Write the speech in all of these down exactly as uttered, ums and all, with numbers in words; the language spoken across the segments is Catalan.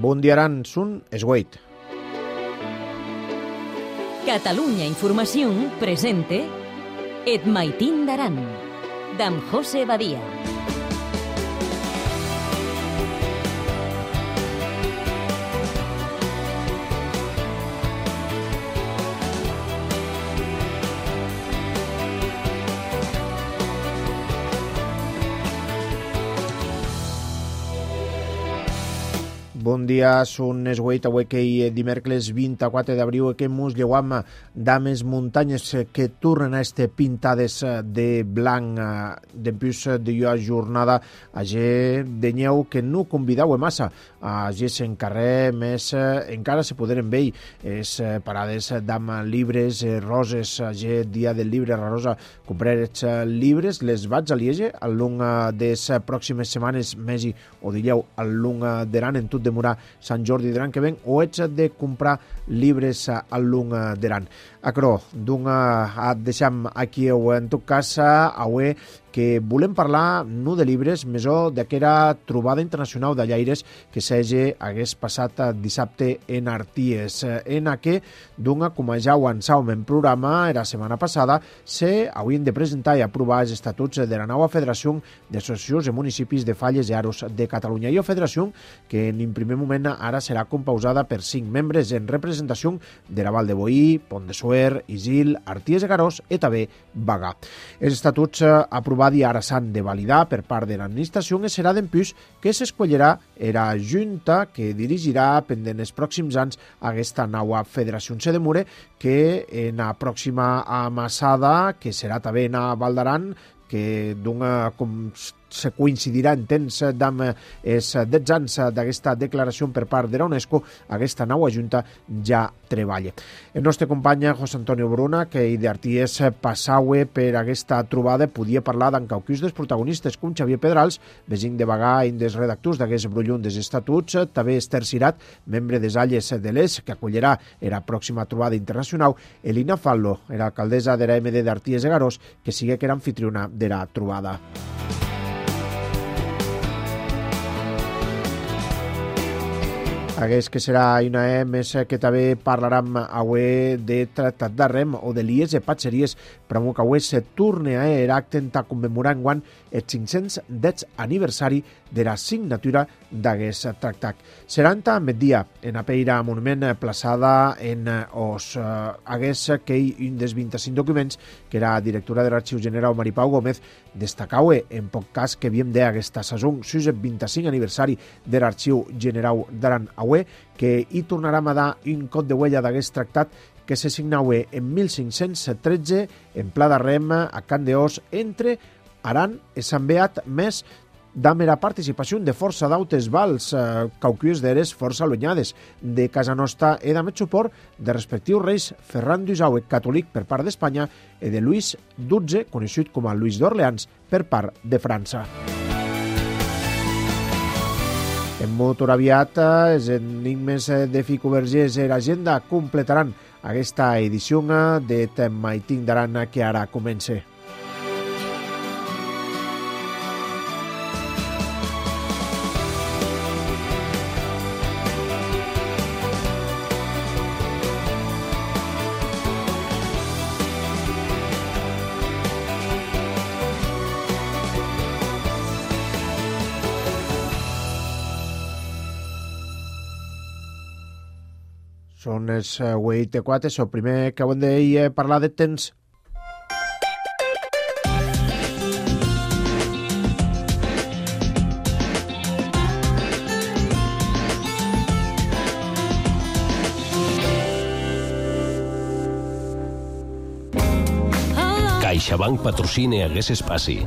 Bundiaran sun esgueit. Catalunya Informació presente Et maitin d'aran, d'en José Badia. Bon dia, són esgueit avui que dimecres vint-i-quatre d'abril que mos lleuam d'ames muntanyes que tornen a este pintades de blanc dempús de jo jornada a ge de nyeu que no convidau massa a ge se'n carrer més encara se poderen veir es parades d'am llibres roses a ge dia del llibre rosa comprar els llibres les vaig a liege al long des pròximes setmanes mesi o dieu al long d'aran en tot de Murà Sant Jordi d'aran que ven o ets de comprar llibres al long d'aran. Acro, d'un et deixam aquí o en tot cas avui que volem parlar no de llibres, mesó d'aquera trobada internacional de llaires que s'hagi hagués passat dissabte en Arties. En què, d'una, com ja ho avançàvem en programa, la setmana passada, se haurien de presentar i aprovar els estatuts de la nova Federació d'Associacions de Municipis de Falles i Aros de Catalunya. I la federació, que en primer moment ara serà composada per cinc membres en representació de la Val de Boí, Pont de Suert, Isil, Arties de Garós i també Bagà. Els estatuts aprovats i ara s'han de validar per part de l'administració i serà d'empús que s'escollirà la Junta que dirigirà pendent els pròxims anys aquesta nova federació. Se demora que en la pròxima amassada, que serà també en Val d'Aran, que d'una com se coincidirà en temps d'amb els dotze anys d'aquesta declaració per part de la UNESCO, aquesta nova Junta ja treballa. El nostre company José Antonio Bruna, que d'Arties passaue per aquesta trobada, podia parlar d'en cauquís dels protagonistes com Xavier Pedrals, vesin de Bagà i dels redactors d'aquest brullun dels estatuts, també Esther Cirat, membre des Alles de l'Es, que acollirà la pròxima trobada internacional, Elina Fallo, era alcaldessa de la M D d'Arties de Garós, que sigue que era anfitriona de la trobada. Hagués que serà una E més que també parlarem avui de tractat d'arrem o de lies de patxeries, però que avui se torna a era acte a commemorar enguany el cinc-cents dètz aniversari de la signatura d'aquest tractat. Seranta migdia en apeira monument plaçada en os hagués que un dels vint-i-cinc documents que era directora de l'Arxiu General Maripau Gómez destacau en poc cas que havíem d'aquesta sazón sus el vint-i-cinc aniversari de l'Arxiu General d'Aran Aue, que hi tornarem a dar un cop de huella d'aquest tractat que se signaue en mil cinc-cents tretze en Pla d'Arrem a Can d'Os entre Aran i Sant Beat més damb la participació de força d'autes vals, eh, cauquius d'eres força allunyades de casa nostra i damb el suport de respectius reis Ferran d'Usaue, catòlic per part d'Espanya, i de Lluís dotze, conegut com a Lluís d'Orleans, per part de França. En motor aviat, els enigmes de Fico Vergés i l'agenda completaran aquesta edició de Et maitin d'aran que ara comença. Són els vuit i quatre, el primer que hem de parlar de temps. CaixaBank patrocina aquest espai.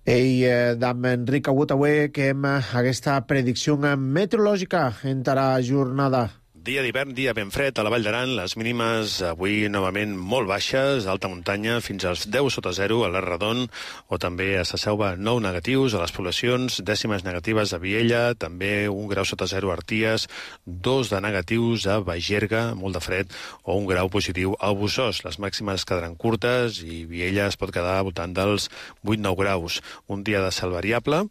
Ei, d'en Enric Agut avui que hem aquesta predicció meteorològica en la jornada. Dia d'hivern, dia ben fred a la Vall d'Aran, les mínimes avui novament molt baixes, alta muntanya, fins als deu sota zero a l'Arradon, o també a la Selva nou negatius, a les poblacions, dècimes negatives a Viella, també un grau sota zero a Arties, dos de negatius a Bagerga, molt de fred, o un grau positiu al Bossòs. Les màximes quedaran curtes i Viella es pot quedar al voltant dels vuit nou graus. Un dia de cel variable,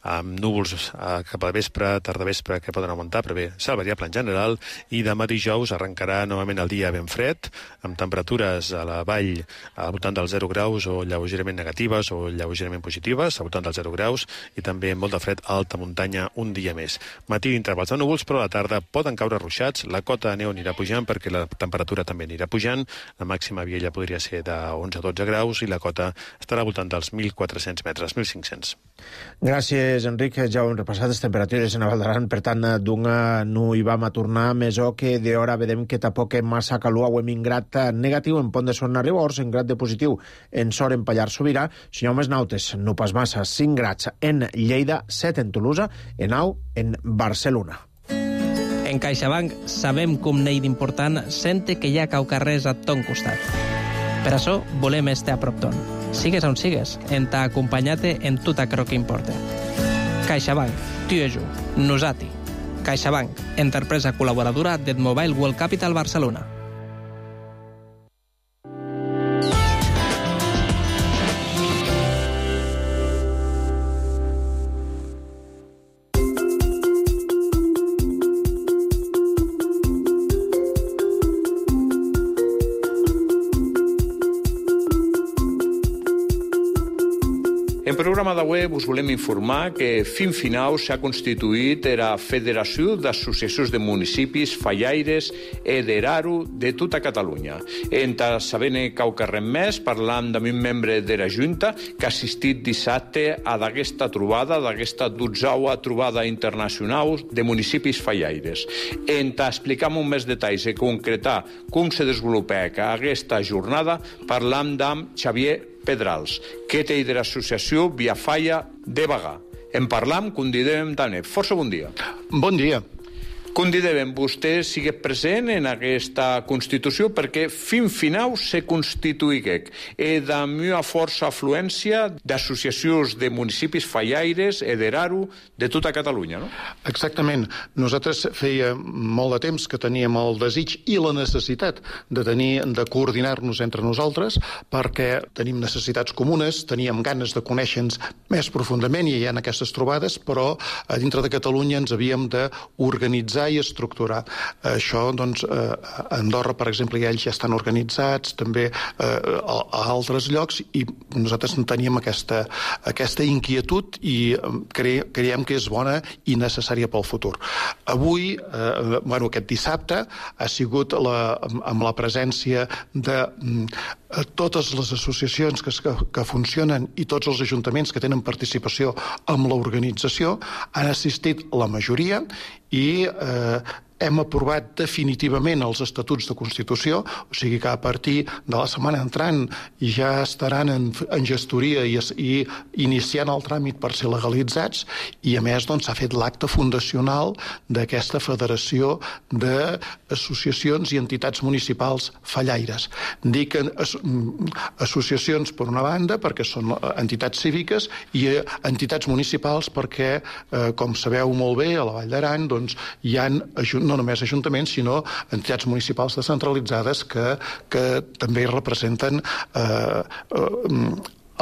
amb núvols eh, cap a vespre, tarda vespre, que poden augmentar, però bé, cel variable en general, i demà dijous arrencarà novament el dia ben fred, amb temperatures a la vall al voltant dels zero graus o lleugerament negatives o lleugerament positives, al voltant dels zero graus, i també molt de fred a alta muntanya un dia més. Matí d'intervals de núvols, però a la tarda poden caure ruixats, la cota de neu anirà pujant perquè la temperatura també anirà pujant, la màxima a Viella podria ser de onze a dotze graus i la cota estarà al voltant dels mil quatre-cents metres, mil cinc-cents. Gràcies, Enric. Ja ho hem repassat, les temperatures en la Val d'Aran, per tant, d'una no hi vam a tornar més o que d'hora vedem que tampoc massa calor, ho hem ingrat negatiu en Pont de Son a Ribors, en grat de positiu en Sor, en Pallars Sobirà, senyor més nautes, no pas massa, cinc grats en Lleida, set en Tolosa, en nou en Barcelona. En CaixaBank sabem com n'hi d'important sente que hi ha caucarrers a ton costat. Per això volem estar a prop ton. Sigues on sigues, en t'ha acompanyat en tot aquello que importa. CaixaBank, tu i jo, nosati. CaixaBank, empresa col·laboradora del Mobile World Capital Barcelona. En programa d'avui us volem informar que fin final s'ha constituït la Federació d'Associacions de Municipis Fallaires e d'Eraru de tota Catalunya. En sabent quaucarrem més, parlant amb un membre de la Junta que ha assistit dissabte a d'aquesta trobada, d'aquesta dotzeua trobada internacional de municipis fallaires. En explicar amb més detalls i concretar com se desenvolupa aquesta jornada, parlam amb Xavier Pedrals, que té de l'associació Via Falla de Bagà. En parlam, convidem també. Força bon dia. Bon dia. Convidem vostè sigui present en aquesta Constitució perquè fin final se constituïguec e de una força afluència d'associacions de municipis fallaires e d'Eraru de tota Catalunya, no? Exactament. Nosaltres feia molt de temps que teníem el desig i la necessitat de tenir de coordinar-nos entre nosaltres perquè tenim necessitats comunes, teníem ganes de conèixer-nos més profundament i hi ha aquestes trobades, però a dintre de Catalunya ens havíem d'organitzar i estructurar. Això, doncs, a Andorra, per exemple, ja ells ja estan organitzats, també a altres llocs, i nosaltres teníem aquesta, aquesta inquietud i cre, creiem que és bona i necessària pel futur. Avui, eh, bueno, aquest dissabte, ha sigut la, amb la presència de totes les associacions que, que funcionen i tots els ajuntaments que tenen participació en l'organització, han assistit la majoria i eh, hem aprovat definitivament els estatuts de Constitució, o sigui que a partir de la setmana entrant ja estaran en, en gestoria i, i iniciant el tràmit per ser legalitzats, i a més doncs, s'ha fet l'acte fundacional d'aquesta Federació d'Associacions i Entitats Municipals Fallaires. Dic as, associacions per una banda perquè són entitats cíviques i entitats municipals perquè, eh, com sabeu molt bé, a la Vall d'Aran doncs, hi ha no només ajuntaments, sinó entitats municipals descentralitzades que, que també representen eh, eh,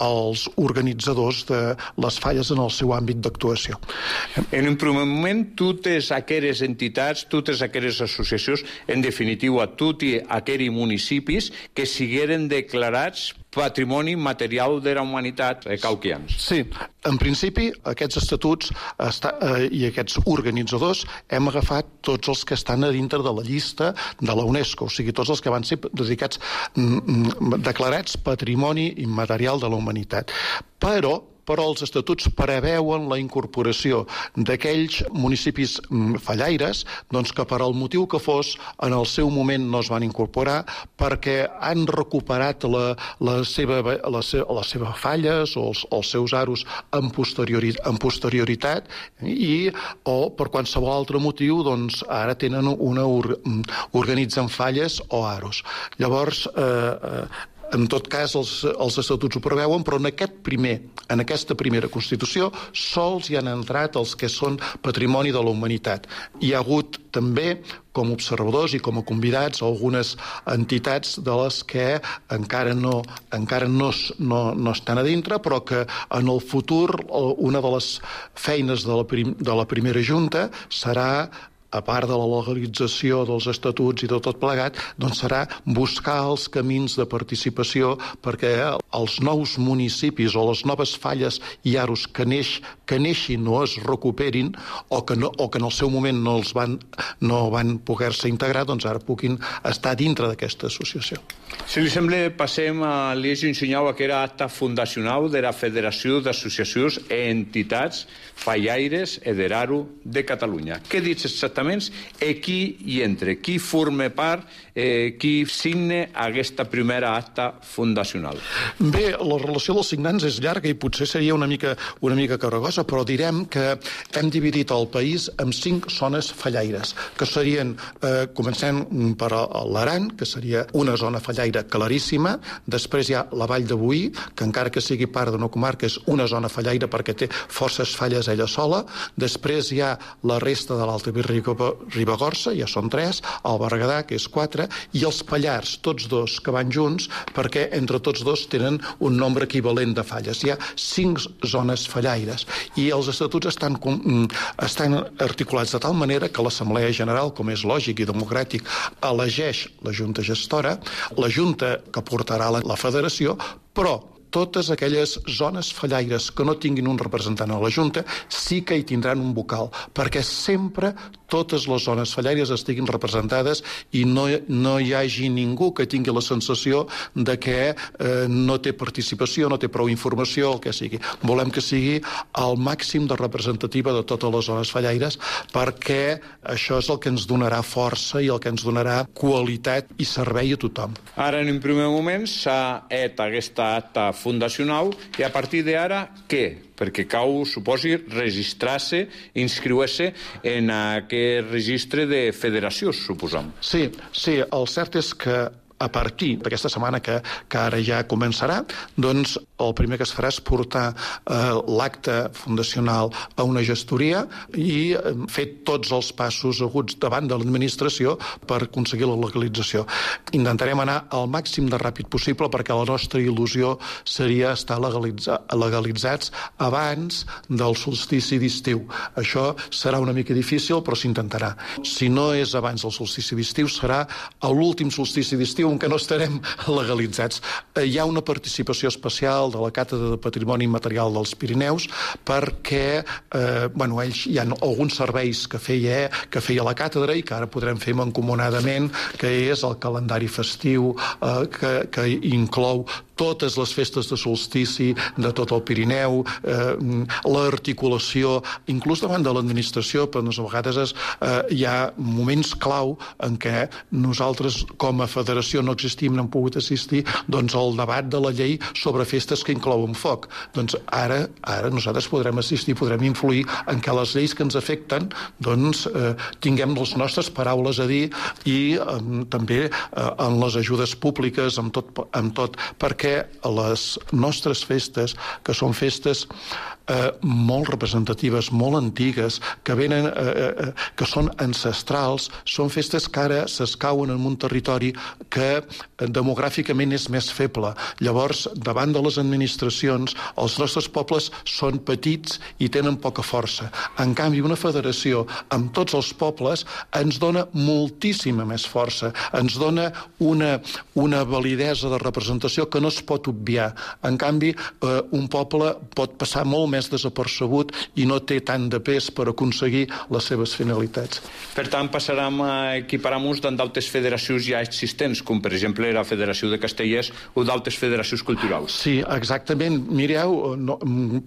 els organitzadors de les falles en el seu àmbit d'actuació. En un primer moment, totes aquelles entitats, totes aquelles associacions, en definitiva, tots aquells municipis que sigueren declarats patrimoni material de la humanitat eh, cauquians. Sí, en principi aquests estatuts està, eh, i aquests organitzadors hem agafat tots els que estan a dintre de la llista de la UNESCO, o sigui, tots els que van ser dedicats, mm, declarats patrimoni immaterial de la humanitat. Però però els estatuts preveuen la incorporació d'aquells municipis fallaires doncs, que per al motiu que fos en el seu moment no es van incorporar perquè han recuperat la, la, seva, la, seva, les seves falles o els, els seus aros en, posteriori, en posterioritat i o per qualsevol altre motiu doncs, ara tenen una or, organitzen falles o aros. Llavors, eh, en tot cas, els, els estatuts ho preveuen, però en, aquest primer, en aquesta primera Constitució sols hi han entrat els que són patrimoni de la humanitat. Hi ha hagut també, com a observadors i com a convidats, algunes entitats de les que encara no, encara no, no, no estan a dintre, però que en el futur una de les feines de la, prim, de la primera Junta serà, a part de la legalització dels estatuts i de tot plegat, doncs serà buscar els camins de participació perquè els nous municipis o les noves falles i aros que, neix, que neixin o es recuperin o que, no, o que en el seu moment no, els van, no van poder-se integrar, doncs ara puguin estar dintre d'aquesta associació. Si li sembla, passem a l'eix ensenyau que era acta fundacional de la Federació d'Associacions i Entitats Fallaires e d'Eraru de Catalunya. Què dius exactament i qui hi entra? Qui forma part, eh, qui signa aquesta primera acta fundacional? Bé, la relació dels signants és llarga i potser seria una mica, una mica carregosa, però direm que hem dividit el país en cinc zones fallaires, que serien, eh, comencem per l'Aran, que seria una zona fallaire claríssima, després hi ha la Vall de Boí, que encara que sigui part d'una comarca és una zona fallaire perquè té forces falles ella sola, després hi ha la resta de l'Alta Ribagorça, ja són tres, el Berguedà, que és quatre, i els Pallars, tots dos que van junts, perquè entre tots dos tenen un nombre equivalent de falles. Hi ha cinc zones fallaires, i els estatuts estan, estan articulats de tal manera que l'Assemblea General, com és lògic i democràtic, elegeix la Junta Gestora, la Junta que portarà la, la Federació, però totes aquelles zones fallaires que no tinguin un representant a la Junta sí que hi tindran un vocal, perquè sempre totes les zones fallaires estiguin representades i no, no hi hagi ningú que tingui la sensació de que eh, no té participació, no té prou informació, el que sigui. Volem que sigui el màxim de representativa de totes les zones fallaires perquè això és el que ens donarà força i el que ens donarà qualitat i servei a tothom. Ara, en un primer moment, s'ha fet aquesta acta fundacional i a partir d'ara, què? Perquè cau, suposi, registrar-se, inscriure-se en aquest registre de federació, suposam. Sí, sí, el cert és que a partir d'aquesta setmana que, que ara ja començarà, doncs el primer que es farà és portar eh, l'acte fundacional a una gestoria i eh, fer tots els passos aguts davant de l'administració per aconseguir la legalització. Intentarem anar al màxim de ràpid possible perquè la nostra il·lusió seria estar legalitza, legalitzats abans del solstici d'estiu. Això serà una mica difícil, però s'intentarà. Si no és abans del solstici d'estiu, serà a l'últim solstici d'estiu en què no estarem legalitzats. Hi ha una participació especial de la Càtedra de Patrimoni Immaterial dels Pirineus perquè eh, bueno, ells hi ha alguns serveis que feia, que feia la càtedra i que ara podrem fer mancomunadament, que és el calendari festiu eh, que, que inclou totes les festes de solstici de tot el Pirineu, eh, l'articulació, inclús davant de l'administració, però a vegades és, eh, hi ha moments clau en què nosaltres com a federació no existim, no hem pogut assistir doncs, al debat de la llei sobre festes que inclouen foc. Doncs ara, ara nosaltres podrem assistir, podrem influir en què les lleis que ens afecten doncs, eh, tinguem les nostres paraules a dir i eh, també eh, en les ajudes públiques, amb tot, amb tot perquè les nostres festes, que són festes eh, molt representatives, molt antigues, que venen, eh, eh, que són ancestrals, són festes que ara s'escauen en un territori que demogràficament és més feble. Llavors, davant de les administracions, els nostres pobles són petits i tenen poca força. En canvi, una federació amb tots els pobles ens dona moltíssima més força, ens dona una, una validesa de representació que no es pot obviar. En canvi, eh, un poble pot passar molt més desapercebut i no té tant de pes per aconseguir les seves finalitats. Per tant, passarem a equiparar-nos amb d'altres federacions ja existents, com per exemple la Federació de Castellers o d'altres federacions culturals. Sí, exactament. Mireu, no,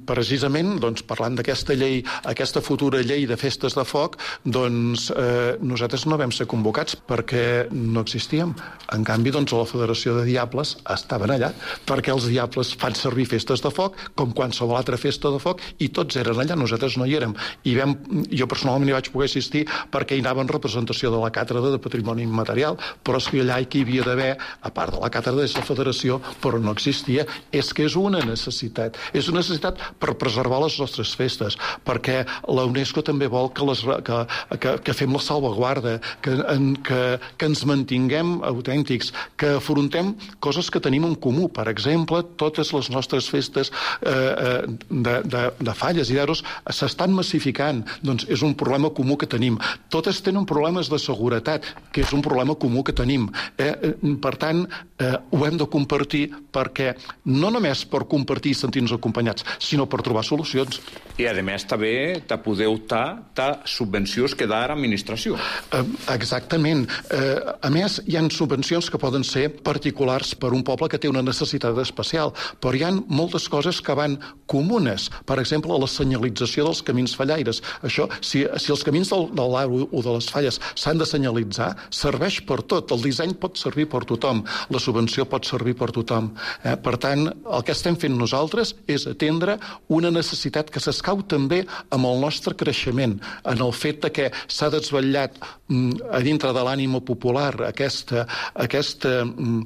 precisament, doncs, parlant d'aquesta llei, aquesta futura llei de festes de foc, doncs eh, nosaltres no vam ser convocats perquè no existíem. En canvi, doncs, a la Federació de Diables estaven allà, perquè els Diables fan servir festes de foc com qualsevol altra festa de foc i tots eren allà, nosaltres no hi érem. I vam, jo personalment hi vaig poder assistir perquè hi anava en representació de la càtedra de Patrimoni Immaterial, però és que allà que hi havia d'haver, a part de la càtedra de la Federació, però no existia. És que és una necessitat. És una necessitat per preservar les nostres festes, perquè la UNESCO també vol que, les, que, que, que fem la salvaguarda, que, en, que, que ens mantinguem autèntics, que afrontem coses que tenim en comú. Per exemple, totes les nostres festes eh, de, de, de falles i d'aros s'estan massificant. Doncs és un problema comú que tenim. Totes tenen problemes de seguretat, que és un problema comú que tenim. Eh, per tant, eh, ho hem de compartir perquè no només per compartir i sentir-nos acompanyats, sinó per trobar solucions. I, a més, també te poder optar a subvencions que dà l'administració. Eh, exactament. Eh, a més, hi ha subvencions que poden ser particulars per un poble que té una necessitat especial, però hi ha moltes coses que van comunes. Per exemple, la senyalització dels camins fallaires. Això, si, si els camins del, de l'Aro o de les falles s'han de senyalitzar, serveix per tot. El disseny pot servir per tothom. La subvenció pot servir per tothom. Eh, per tant, el que estem fent nosaltres és atendre una necessitat que s'escau també amb el nostre creixement, en el fet de que s'ha desvetllat mm, a dintre de l'ànima popular aquesta, aquesta mm,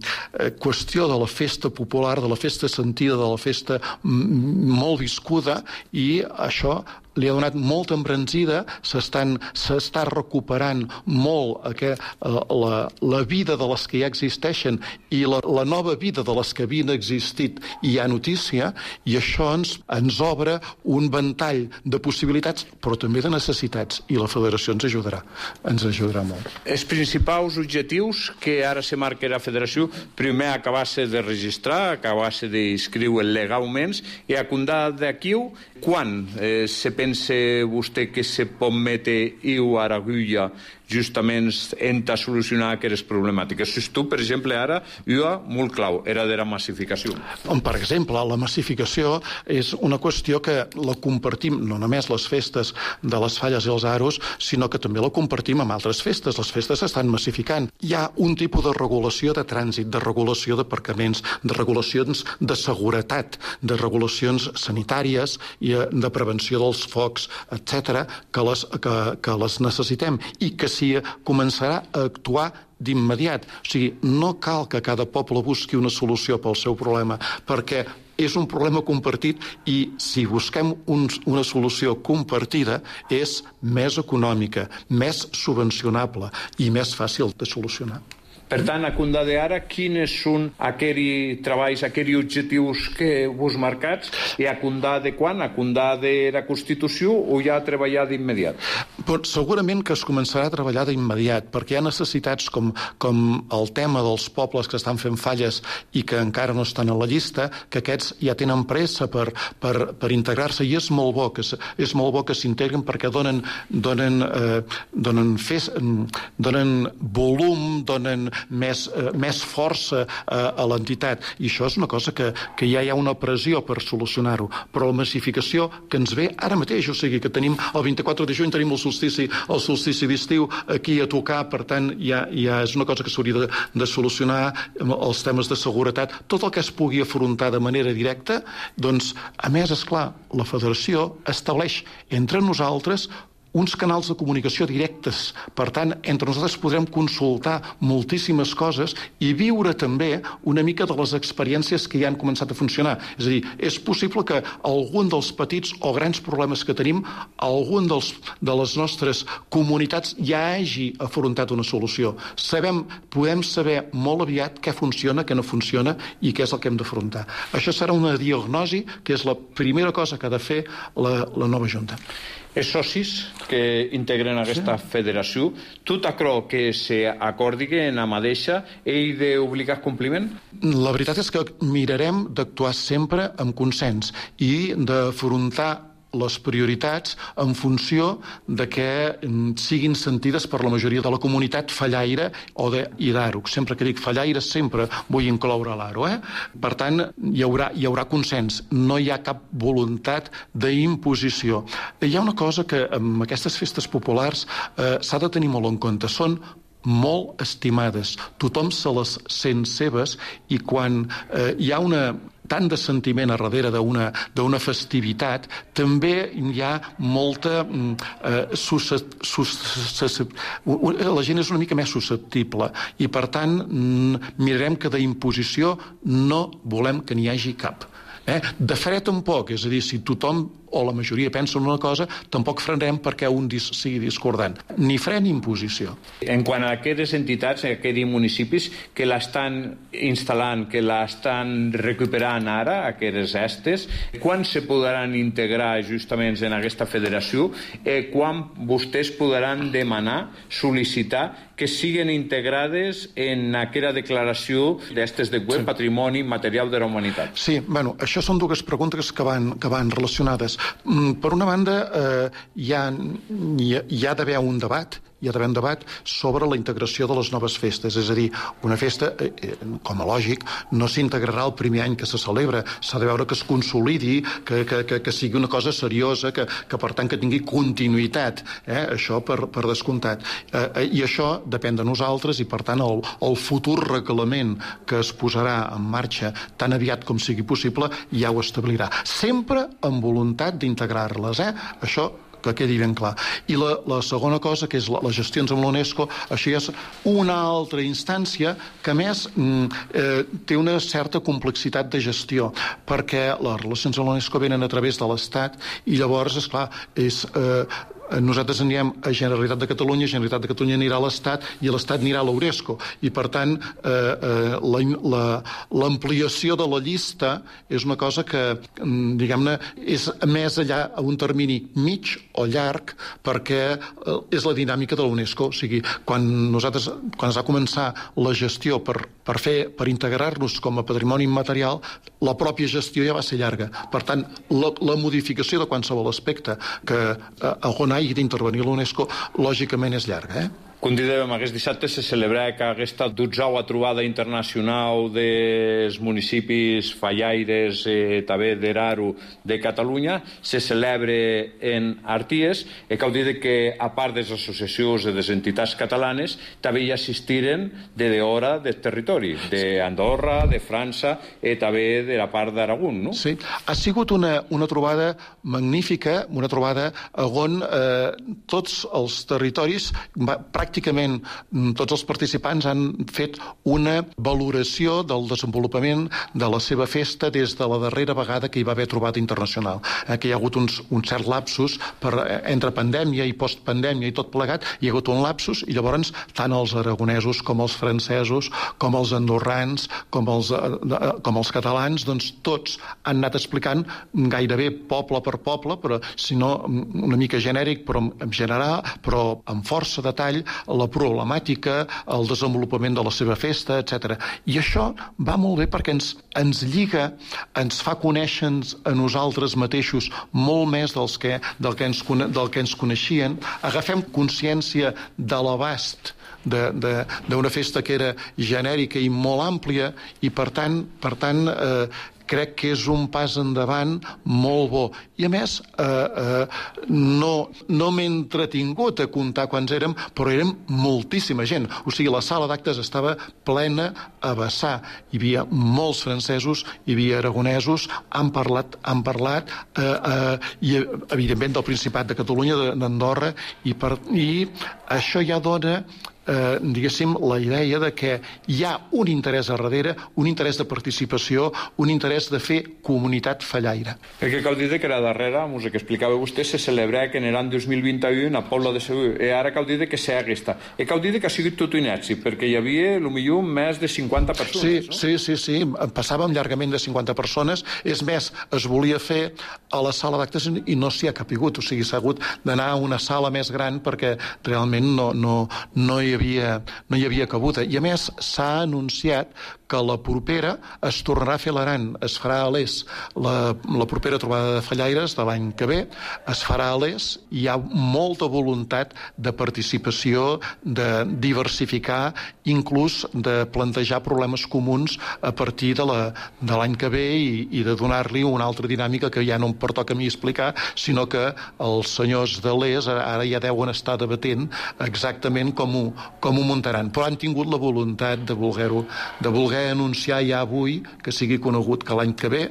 qüestió de la festa popular, de la festa sentida, de la festa mm, molt viscuda, i això li ha donat molta embranzida, s'està recuperant molt aquest, la, la vida de les que ja existeixen i la, la nova vida de les que havien existit i hi ha notícia, i això ens, ens obre un ventall de possibilitats, però també de necessitats, i la federació ens ajudarà, ens ajudarà molt. Els principals objectius que ara se marca la federació, primer acabar-se de registrar, acabar-se d'inscriure legalment, i a comptar d'aquí, quan eh, se pensa vostè que se pot metre iu a l'agulla justament en a solucionar aquestes problemàtiques? Si tu, per exemple, ara, jo molt clau, era de la massificació. Per exemple, la massificació és una qüestió que la compartim, no només les festes de les falles i els aros, sinó que també la compartim amb altres festes. Les festes s'estan massificant. Hi ha un tipus de regulació de trànsit, de regulació d'aparcaments, de regulacions de seguretat, de regulacions sanitàries i de prevenció dels focs, etcètera, que les, que, que les necessitem i que s'hi començarà a actuar d'immediat. O sigui, no cal que cada poble busqui una solució pel seu problema, perquè és un problema compartit i si busquem un, una solució compartida és més econòmica, més subvencionable i més fàcil de solucionar. Per tant, a comptar d'ara, quins són aquells treballs, aquells objectius que vos marcats, i a comptar de quan? A comptar de la Constitució o ja a treballar d'immediat? Però segurament que es començarà a treballar d'immediat, perquè hi ha necessitats com, com el tema dels pobles que estan fent falles i que encara no estan a la llista, que aquests ja tenen pressa per, per, per integrar-se, i és molt bo que, és molt bo que s'integren perquè donen, donen, eh, donen, fes, donen volum, donen més, eh, més força eh, a l'entitat, i això és una cosa que, que ja hi ha una pressió per solucionar-ho, però la massificació que ens ve ara mateix, o sigui que tenim el vint-i-quatre de juny tenim el solstici, el solstici d'estiu aquí a tocar, per tant ja, ja és una cosa que s'hauria de, de solucionar, els temes de seguretat, tot el que es pugui afrontar de manera directa. Doncs, a més, esclar, la federació estableix entre nosaltres uns canals de comunicació directes. Per tant, entre nosaltres podrem consultar moltíssimes coses i viure també una mica de les experiències que ja han començat a funcionar. És a dir, és possible que algun dels petits o grans problemes que tenim, algun dels, de les nostres comunitats ja hagi afrontat una solució. Sabem, podem saber molt aviat què funciona, què no funciona i què és el que hem d'afrontar. Això serà una diagnosi que és la primera cosa que ha de fer la, la nova Junta. Els socis que integren aquesta sí. federació, tot aquò que s'acordi en la mateixa ell d'obligar compliment? La veritat és que mirarem d'actuar sempre amb consens i d'afrontar les prioritats en funció de que siguin sentides per la majoria de la comunitat fallaire o de, i d'Aro. Sempre que dic fallaire sempre vull incloure l'Aro. Eh? Per tant, hi haurà, hi haurà consens. No hi ha cap voluntat d'imposició. Hi ha una cosa que amb aquestes festes populars eh, s'ha de tenir molt en compte. Són molt estimades. Tothom se les sent seves i quan eh, hi ha una tant de sentiment a darrere d'una d'una festivitat, també hi ha molta eh, suscep, suscep, la gent és una mica més susceptible i per tant mirarem que d'imposició no volem que n'hi hagi cap. Eh? De fred tampoc, és a dir, si tothom o la majoria pensa en una cosa, tampoc frenem perquè un dis sigui discordant. Ni fre ni imposició. En quant a aquestes entitats, a aquests municipis que l'estan instal·lant, que l'estan recuperant ara, aquestes estes, quan se podran integrar justament en aquesta federació i quan vostès podran demanar, sol·licitar que siguin integrades en aquella declaració d'estes de web, sí. Patrimoni Material de la Humanitat. Sí, bueno, això són dues preguntes que van, que van relacionades. Per una banda, eh, hi ha, hi ha d'haver un debat hi ha d'haver un debat sobre la integració de les noves festes. És a dir, una festa, eh, com a lògic, no s'integrarà el primer any que se celebra. S'ha de veure que es consolidi, que, que, que, que sigui una cosa seriosa, que, que per tant que tingui continuïtat. Eh? Això per, per descomptat. Eh, I això depèn de nosaltres i per tant el, el futur reglament que es posarà en marxa tan aviat com sigui possible ja ho establirà. Sempre amb voluntat d'integrar-les. Eh? Això que quedi ben clar. I la, la segona cosa, que és la, les gestions amb l'UNESCO, això ja és una altra instància que, a més, eh, té una certa complexitat de gestió, perquè les relacions amb l'UNESCO venen a través de l'Estat i llavors, esclar, és... Eh, nosaltres anirem a Generalitat de Catalunya, Generalitat de Catalunya anirà a l'Estat i l'Estat anirà a l'UNESCO. I, per tant, eh, eh, l'ampliació de la llista és una cosa que, diguem-ne, és més allà a un termini mig o llarg perquè eh, és la dinàmica de l'UNESCO. O sigui, quan nosaltres, quan es va començar la gestió per, per fer, per integrar-nos com a patrimoni immaterial, la pròpia gestió ja va ser llarga. Per tant, la, la modificació de qualsevol aspecte que eh, on hagi d'intervenir l'UNESCO, lògicament és llarga, eh? Com dèiem, aquest dissabte se celebra que aquesta dotzena trobada internacional dels municipis fallaires eh, també d'Eraro de Catalunya se celebra en Arties i cal dir que a part de les associacions de les entitats catalanes també hi assistiren de d'hora del territori, d'Andorra, de França i també de la part d'Aragón, no? Sí, ha sigut una, una trobada magnífica, una trobada on eh, tots els territoris va, pràcticament tots els participants han fet una valoració del desenvolupament de la seva festa des de la darrera vegada que hi va haver trobada internacional. Eh, que hi ha hagut uns, un cert lapsus per, eh, entre pandèmia i postpandèmia i tot plegat, hi ha hagut un lapsus i llavors tant els aragonesos com els francesos, com els andorrans, com els, eh, com els catalans, doncs tots han anat explicant gairebé poble per poble, però si no una mica genèric, però en general, però amb força detall, la problemàtica, el desenvolupament de la seva festa, etcètera. I això va molt bé perquè ens, ens lliga, ens fa conèixer a nosaltres mateixos molt més dels que, del, que ens, del que ens coneixien. Agafem consciència de l'abast d'una festa que era genèrica i molt àmplia i, per tant, per tant eh, crec que és un pas endavant molt bo. I a més, eh, eh, no, no m'he entretingut a comptar quants érem, però érem moltíssima gent. O sigui, la sala d'actes estava plena a vessar. Hi havia molts francesos, hi havia aragonesos, han parlat, han parlat eh, eh, i, evidentment, del Principat de Catalunya, d'Andorra, i, per, i això ja dona eh, diguéssim, la idea de que hi ha un interès a darrere, un interès de participació, un interès de fer comunitat fallaire. Perquè cal dir que era darrere, mos que explicava vostè, se celebra que en l'any dos mil vint u a Pobla de Segur, i ara cal dir que s'ha aquesta. I cal dir que ha sigut tot un èxit, perquè hi havia, potser, més de cinquanta persones, sí, no? Sí, sí, sí, passàvem llargament de cinquanta persones, és més, es volia fer a la sala d'actes i no s'hi ha capigut, o sigui, s'ha hagut d'anar a una sala més gran perquè realment no, no, no, hi havia, no hi havia cabuda. I a més, s'ha anunciat que la propera es tornarà a fer a l'Aran, es farà a l'Es. La, la propera trobada de fallaires de l'any que ve es farà a l'Es. Hi ha molta voluntat de participació, de diversificar, inclús de plantejar problemes comuns a partir de l'any que ve i, i de donar-li una altra dinàmica que ja no em pertoca a mi explicar, sinó que els senyors de l'Es ara ja deuen estar debatent exactament com ho, com ho muntaran. Però han tingut la voluntat de voler-ho, de voler anunciar ja avui que sigui conegut que l'any que ve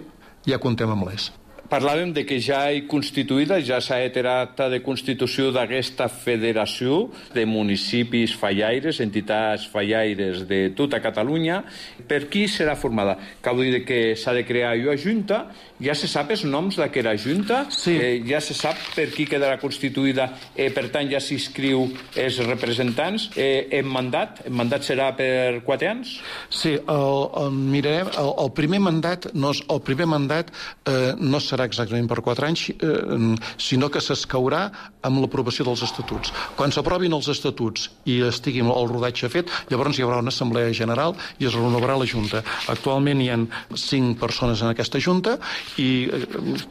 ja comptem amb l'Es. Parlàvem de que ja hi constituïda, ja s'ha heterat de constitució d'aquesta federació de municipis fallaires, entitats fallaires de tota Catalunya. Per qui serà formada? Cal dir que s'ha de crear una junta, ja se sap els noms d'aquesta junta, sí. eh, ja se sap per qui quedarà constituïda, eh, per tant ja s'inscriu els representants. Eh, en mandat, el mandat serà per quatre anys? Sí, el, el, mirarem, el, el primer mandat no, el primer mandat eh, no serà exactament per quatre anys, eh, sinó que s'escaurà amb l'aprovació dels estatuts. Quan s'aprovin els estatuts i estigui el rodatge fet, llavors hi haurà una assemblea general i es renovarà la Junta. Actualment hi ha cinc persones en aquesta Junta i eh,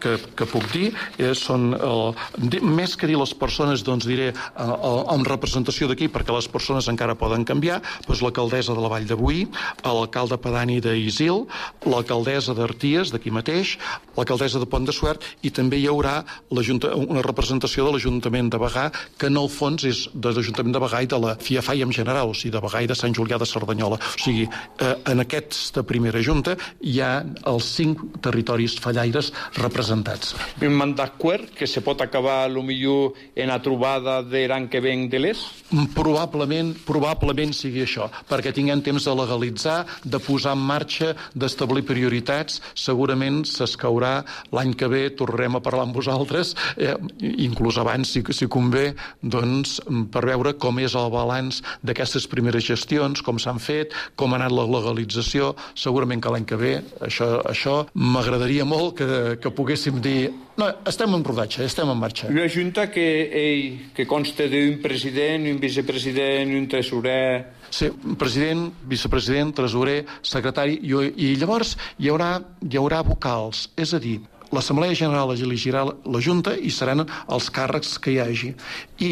que, que puc dir eh, són, eh, més que dir les persones, doncs diré eh, amb representació d'aquí, perquè les persones encara poden canviar, doncs l'alcaldessa de la Vall de Boí, l'alcalde pedani d'Isil, l'alcaldessa d'Arties, d'aquí mateix, l'alcaldessa de Pont de Suert, i també hi haurà una representació de l'Ajuntament de Bagà, que en el fons és de l'Ajuntament de Bagà i de la FIAFAI en general, o sigui, de Bagà i de Sant Julià de Cerdanyola. O sigui, eh, en aquesta primera junta hi ha els cinc territoris fallaires representats. Un d'acord que se pot acabar, millor en la trobada de l'any que ven de l'Es? Probablement, probablement sigui això, perquè tinguem temps de legalitzar, de posar en marxa, d'establir prioritats. Segurament s'escaurà l'any que ve, tornarem a parlar amb vosaltres, eh, inclús abans, si, si convé, doncs, per veure com és el balanç d'aquestes primeres gestions, com s'han fet, com ha anat la legalització. Segurament que l'any que ve, això, això m'agradaria molt que, que poguéssim dir no, estem en rodatge, estem en marxa. Una junta que, ei, que consta d'un president, un vicepresident, un tresorer... Sí, president, vicepresident, tresorer, secretari, i, i llavors hi haurà, hi haurà vocals, és a dir, l'Assemblea General elegirà la Junta i seran els càrrecs que hi hagi. I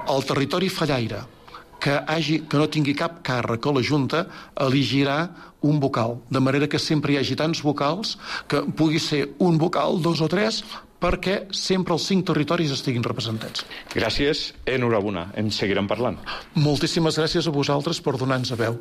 el territori fallaire que, hagi, que no tingui cap càrrec a la Junta elegirà un vocal, de manera que sempre hi hagi tants vocals que pugui ser un vocal, dos o tres, perquè sempre els cinc territoris estiguin representats. Gràcies, enhorabona, en seguirem parlant. Moltíssimes gràcies a vosaltres per donar-nos a veu.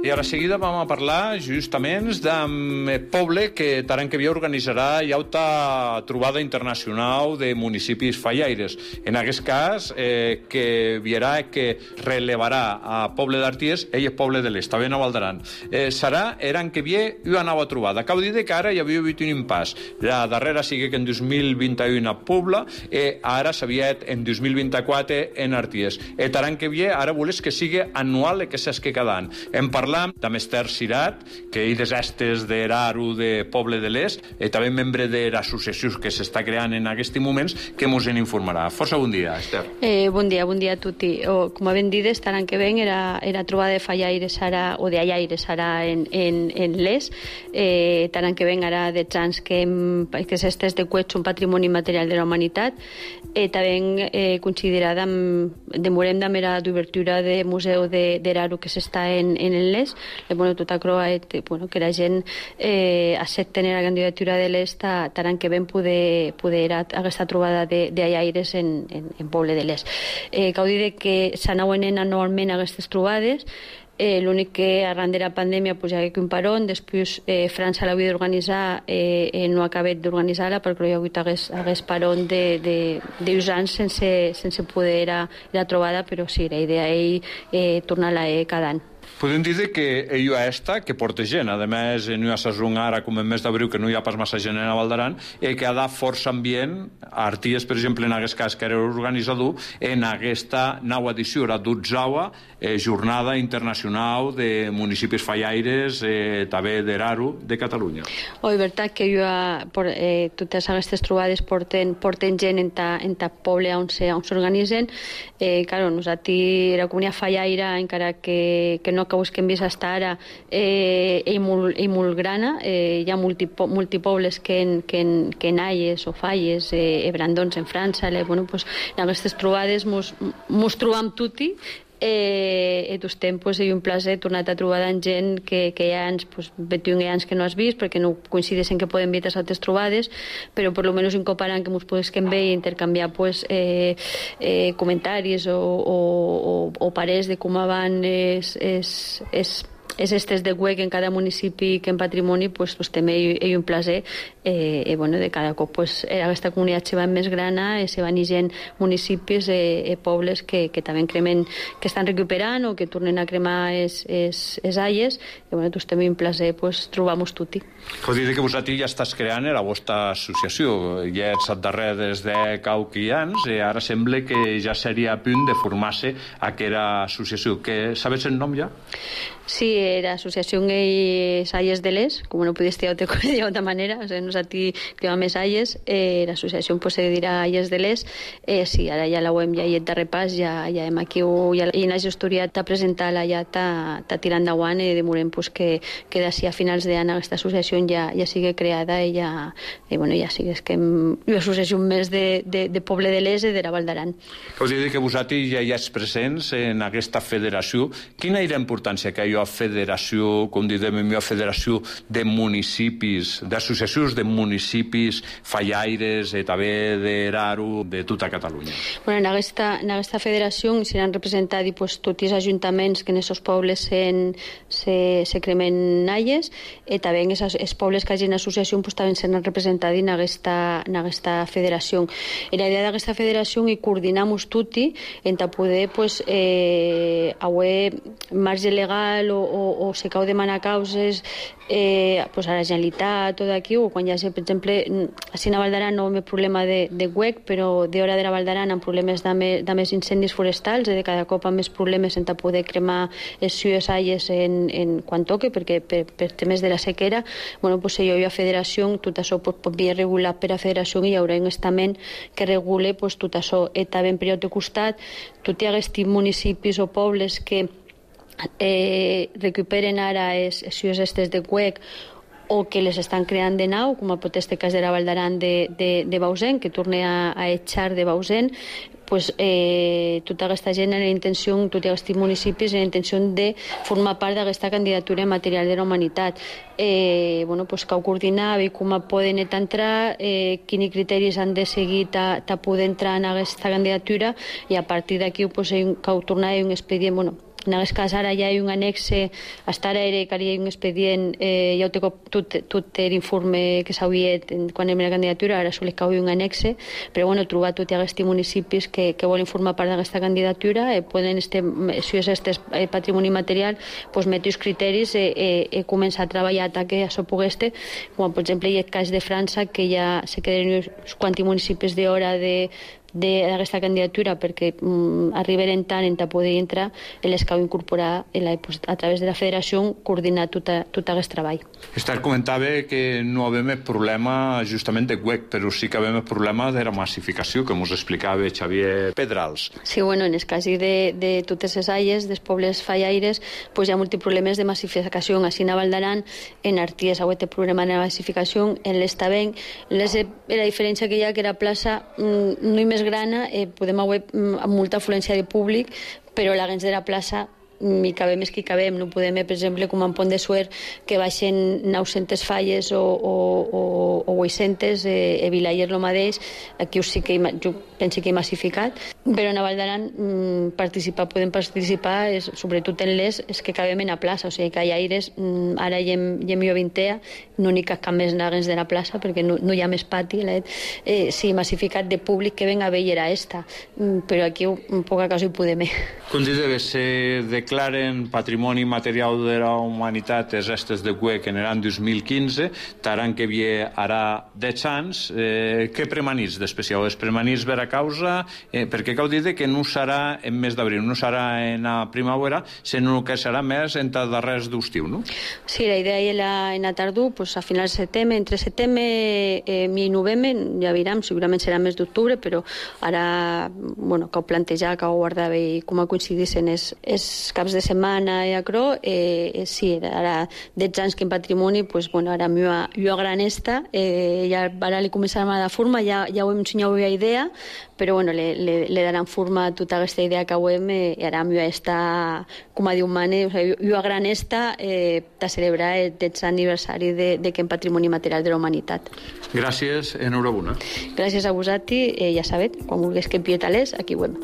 I a la seguida vam a parlar justament d'un poble que l'any que ve organitzarà una trobada internacional de municipis fallaires. En aquest cas, eh, que virà que relevarà a Poble d'Arties ell és Poble de l'Est, també a Val d'Aran. Eh, serà l'any que ve una nova trobada. Cal dir que ara hi havia hagut un impàs. La darrera sigui que en dos mil vint u a Pobla, eh, ara s'havia en dos mil vint-i-quatre en Arties. Eh, l'any que ve ara voles que sigui anual i que s'esque cada any. Hem parlat amb Esther Sirat, que ell és estes d'Eraru de Poble de l'Est, i també membre de l'associació que s'està creant en aquests moments, que ens en informarà. Força bon dia, Esther. Eh, bon dia, bon dia a tutti. O, com ben dit, l'any que ven era, era trobada de fallaires ara, o de allaires ara en, en, en l'Est. Eh, l'any que ven ara de anys que, que s'estès de Cuets un patrimoni material de la humanitat. Eh, també eh, considerada amb, demorem de mera d'obertura de museu d'Eraru que s'està en, en l'Est. Bueno, tota croa, eh, bueno, que la gent eh, accepten la candidatura de l'Est l'any que ven poder, poder aquesta trobada d'allaires en, en, en Poble de l'Est. Eh, cal dir que s'anaven anualment aquestes trobades. Eh, l'únic que arran de la pandèmia pues, hi ha un parón, després eh, França l'havia d'organitzar, eh, eh, no ha acabat d'organitzar-la perquè hi ha hagut hagués, hagués parón de, de, de uns anys sense, sense poder era, era trobada, però sí, la idea és eh, tornar-la eh, cada any. Podem dir que ella esta, que porta gent, a més, no hi ha sazón ara, com en mes d'abril, que no hi ha pas massa gent a Val d'Aran, i que ha de força ambient, Arties, per exemple, en aquest cas, que era organitzador, en aquesta nova edició, la dotzeava eh, jornada internacional de municipis fallaires, eh, també d'Eraru, de Catalunya. Oh, és veritat que jo, eh, totes aquestes trobades porten, porten gent en ta, en ta poble on s'organitzen. Eh, claro, nosaltres, la comunitat fallaire, encara que, que no que busquem vist fins ara, eh, és molt, és molt grana. Eh, hi ha multipo, multipobles que en, que en, que en Aies o Falles, eh, Brandons en França, le, bueno, pues, en aquestes trobades mos, mos trobam tutti. Eh, i tots temps hi ha un plaer tornat a trobar amb gent que, que hi ha anys, pues, vint-i-un anys que no has vist perquè no coincideixen que poden veure altres trobades, però per lo menos incorporant que ens podem veure i intercanviar pues, eh, eh, comentaris o, o, o, o parers de com van és, és, és és estes de W E C en cada municipi que en patrimoni, pues, pues també hi, hi ha un plaer eh, eh, bueno, de cada cop pues, aquesta comunitat se va més grana, eh, se van gent municipis, eh, eh, pobles que, que també cremen, que estan recuperant o que tornen a cremar es, es, es aies, i bueno, doncs també un plaer pues, trobar-nos tutti. Cal dir que vosaltres ja estàs creant la vostra associació, ja ets al darrer des de Cauquians i ara sembla que ja seria a punt de formar-se aquesta associació. Que sabes el nom ja? Sí, la Asociación es Ayes de Les, como no pudiste de otra manera, o sea, nos a ti que va més Ayes, eh, la asociación pues se dirà Ayes de Les, eh, sí, ara ja la web ja hi ha de repàs, ja, ja hem aquí, ja, i la gestoria t'ha presentat, ja t'ha tirat endavant i demorem pues, que, que d'ací a finals d'any aquesta associació ja, ja sigui creada i ja, i, bueno, ja sigui que hem, una associació més de, de, de poble de Les i de la Val d'Aran. Cal dir que vosaltres ja hi ets presents en aquesta federació. Quina és la importància que hi ha federació, com diem, una federació de municipis, d'associacions de municipis fallaires, eh, també d'Eraru, de tota Catalunya? Bueno, en aquesta, en aquesta federació seran representats pues, tots els ajuntaments que en aquests pobles se, se, se cremen aies, i també els pobles que hagin associació pues, també seran representats en aquesta, en aquesta federació. I la idea d'aquesta federació és coordinar-nos tots en poder pues, eh, haver marge legal o, o, o se cau demanar causes eh, pues a la Generalitat o d'aquí, o quan hi ha, per exemple, així a Val d'Aran no hi ha problema de, de W E C, però d'hora de la Val d'Aran amb problemes de, de més incendis forestals i de cada cop amb més problemes en poder cremar les sues aies en, en quan toque, perquè per, per temes de la sequera, bueno, pues hi ha federació, tot això pues, pot ser regulat per a federació i hi haurà un estament que regule pues, tot això. I també en per altre costat, tot hi ha aquests municipis o pobles que Eh, recuperen ara les ciutats estes de W E C o que les estan creant de nou, com a pot este cas de la Val d'Aran de, de, de Bausen, que torna a, a echar de Bausen, pues, eh, tota aquesta gent en la intenció, tots aquests municipis en la intenció de formar part d'aquesta candidatura material de la humanitat. Eh, bueno, pues, cal coordinar, veure com poden entrar, eh, quins criteris han de seguir ta, ta poder entrar en aquesta candidatura i a partir d'aquí pues, cal tornar a un expedient, bueno, en aquest cas ara ja hi ha un annexe, hasta ara era que hi ha un expedient, eh, ja ho té tot, tot l'informe que s'havia quan era la candidatura, ara sols cau un annexe, però bueno, trobar tots aquests municipis que, que volen formar part d'aquesta candidatura, eh, poden, este, si és este eh, patrimoni material, pues, metre els criteris i eh, eh, començar a treballar que això pogués estar, com per exemple hi ha el cas de França, que ja se queden uns quants municipis d'hora de d'aquesta candidatura perquè mm, arribaren tant en poder entrar i les cal incorporar la, pues, a través de la federació coordinar tot, a, tot aquest treball. Esther comentava que no havem el problema justament de W E C, però sí que havem el problema de la massificació, que ens explicava Xavier Pedrals. Sí, bueno, en el cas de, de totes les aies, dels pobles fallaires, pues hi ha molts problemes de massificació. Així a Val d'Aran, en Arties, ha hagut el problema de massificació, en l'Estavent, la diferència que hi ha que la plaça mm, no hi més grana, eh, podem haver amb molta afluència de públic, però la gens de la plaça i cabem és que hi cabem. No podem, per exemple, com en Pont de Suert, que baixen nou-centes falles o, o, o, o vuit-centes, eh, a Vilaller lo mateix, aquí sí que jo penso que he massificat, però a Vall d'Aran mm, participar, podem participar, és, sobretot en les, és que cabem en la plaça, o sigui que hi ha aires, mm, ara hi hem, hi hem jo vintea, no n'hi cap més naguens de la plaça, perquè no, no hi ha més pati, eh, sí, massificat de públic que venga a veure a esta, mm, però aquí en poca cosa hi podem. Considera que se declaren patrimoni material de la humanitat els restes de Cuec en l'any dos mil quinze, taran que havia ara deu anys, eh, què premanís d'especial? Es premanís per a causa, eh, perquè cal dir que no serà en mes d'abril, no serà en la primavera, sinó que serà més en els darrers d'estiu, no? Sí, la idea era en la tardor, pues a finals de setembre, entre setembre eh, i novembre, ja veurem, segurament serà més d'octubre, però ara, bueno, que ho plantejar, que ho guardava i com a coincidissin els, els caps de setmana i acro, eh, sí, ara deu anys que en patrimoni, pues, bueno, ara mi a, mi a gran esta, eh, ja ara li començarem a dar forma, ja, ja ho hem ensenyat la idea, però bueno, le, le, le daran forma a tota aquesta idea que ho hem, eh, i ara mi a esta, com a diu Mane, o sigui, mi a gran esta, eh, de celebrar el deu aniversari de, de que en patrimoni material de la humanitat. Gràcies, enhorabona. Gràcies a vosaltres, eh, ja sabeu, quan vulguis que empie talers, aquí ho hem.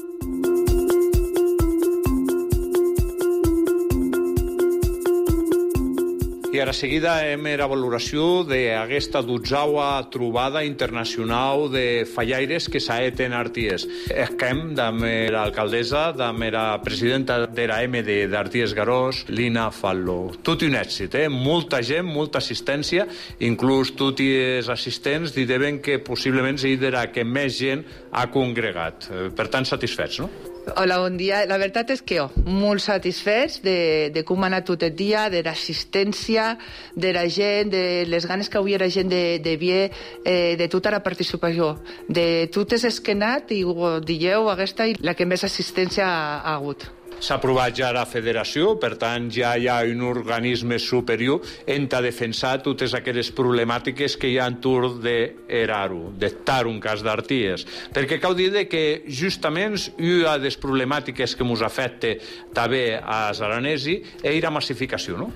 I ara seguida hem la valoració d'aquesta dotzaua trobada internacional de fallaires que s'ha fet en Arties. Esquem amb l'alcaldessa, amb la presidenta de la M D d'Arties Garós, Lina Fallo. Tot un èxit, eh? Molta gent, molta assistència, inclús tots els assistents diuen que possiblement serà que més gent ha congregat. Per tant, satisfets, no? Hola, bon dia. La veritat és que jo, molt satisfets de, de com ha anat tot el dia, de l'assistència, de la gent, de les ganes que avui la gent de, de Vie, eh, de tota la participació, de totes les que ha anat, i ho dieu, aquesta i la que més assistència ha, ha hagut. S'ha aprovat ja la federació, per tant ja hi ha un organisme superior en a defensar totes aquelles problemàtiques que hi ha entorn d'Eraru, d'estar un cas d'Arties. Perquè cal dir que justament una de les problemàtiques que ens afecta també als aranesi és la massificació, no?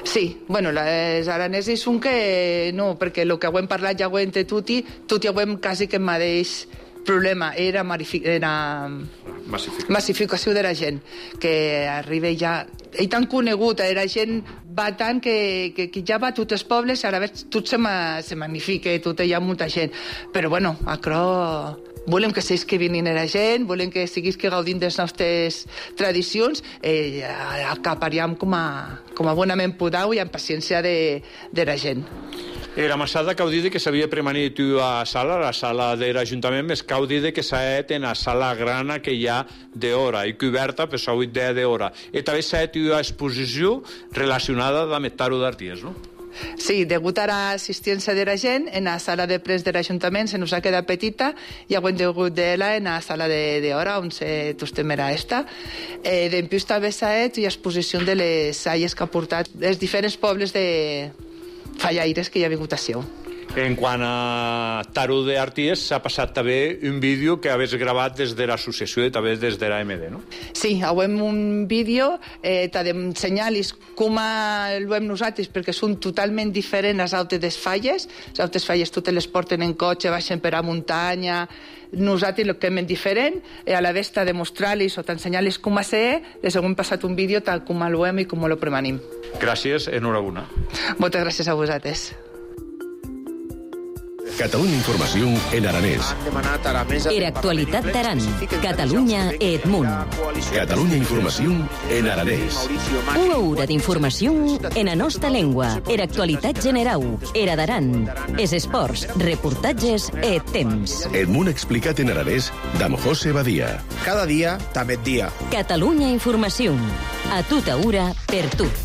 Sí, bueno, els aranesis són que no, perquè el que ho hem parlat ja ho hem entre tutti, tutti ho hem quasi que el mateix problema, era, era massificació. massificació de la gent, que arriba ja... I tan conegut, la gent va tant que, que, que ja va a tots els pobles, ara veig, tot se, ma, se magnifica, tot hi ha molta gent. Però bueno, acro... Volem que seguís que vinguin la gent, volem que seguís que gaudint de les nostres tradicions, eh, acapariam com a, com a bonament podeu i amb paciència de, de la gent. Era massada cau dir que s'havia premanit a sala, la sala de l'Ajuntament, més cau dir que s'ha fet en la sala grana que hi ha d'hora i coberta per la vuit d'hora. I també s'ha fet una exposició relacionada amb el taro d'Arties, no? Sí, degut a l'assistència de la gent, en la sala de premsa de l'Ajuntament se nos ha quedat petita i ho hem degut d'ella en la sala d'hora on se tostem era esta. Eh, D'empius també s'ha fet una exposició de les salles que ha portat els diferents pobles de fallaires que hi ha vingut a seu. En quant a taro d'Arties, s'ha passat també un vídeo que havies gravat des de l'associació i també des de la M D, no? Sí, hem un vídeo, eh, t'ha d'ensenyar-los com ho hem nosaltres, perquè són totalment diferents les altres falles. Les altres falles totes les porten en cotxe, baixen per a muntanya. Nosaltres el que hem diferent, a la vez t'ha de mostrar-los o t'ensenyar-los com a ser, les hem passat un vídeo tal com ho hem i com ho premanim. Gràcies, enhorabona. Moltes gràcies a vosaltres. Catalunya Informació en aranès. Era actualitat d'Aran. Catalunya e Edmunt. Catalunya Informació en aranès. Una hora d'informació en la nostra llengua. Era actualitat generau. Era d'Aran. Es esports, reportatges e temps. Edmunt explicat en aranès d'Am José Badia. Cada dia, també dia. Catalunya Informació. A tota hora, per tot.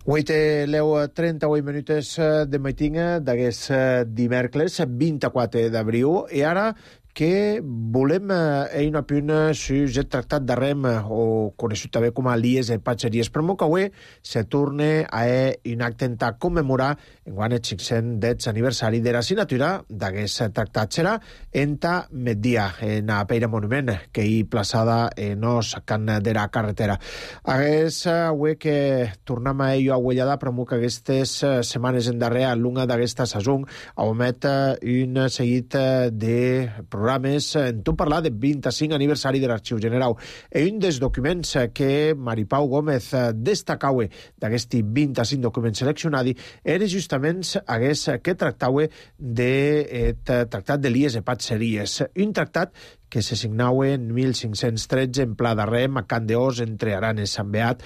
Avui té l'eu trenta-vuit minuts de matinga d'aquest dimecres, vint-i-quatre d'abril, i ara que volem eh, una puna sus el tractat de Rem, o conegut també com a lies e patxeries, però que avui se torna a un acte en ta commemorar en guany el cinc-cents aniversari de la signatura d'aquest tractat. Serà en ta metdia, en a Peira Monument, que hi plaçada en os can de la carretera. Aguest avui que tornem a ello aguellada, però que aquestes setmanes en darrere, l'una d'aquesta sazón, omet un seguit de programes en tot parlar del vint-i-cinc aniversari de l'Arxiu General. I un dels documents que Maripau Gómez destacava d'aquest vint-i-cinc documents seleccionats era justament aquest que tractava del tractat de lies e patxeries, un tractat que se signava en mil cinc-cents tretze en Pla de Rem, a Can d'Os, entre Aran i Sant Beat,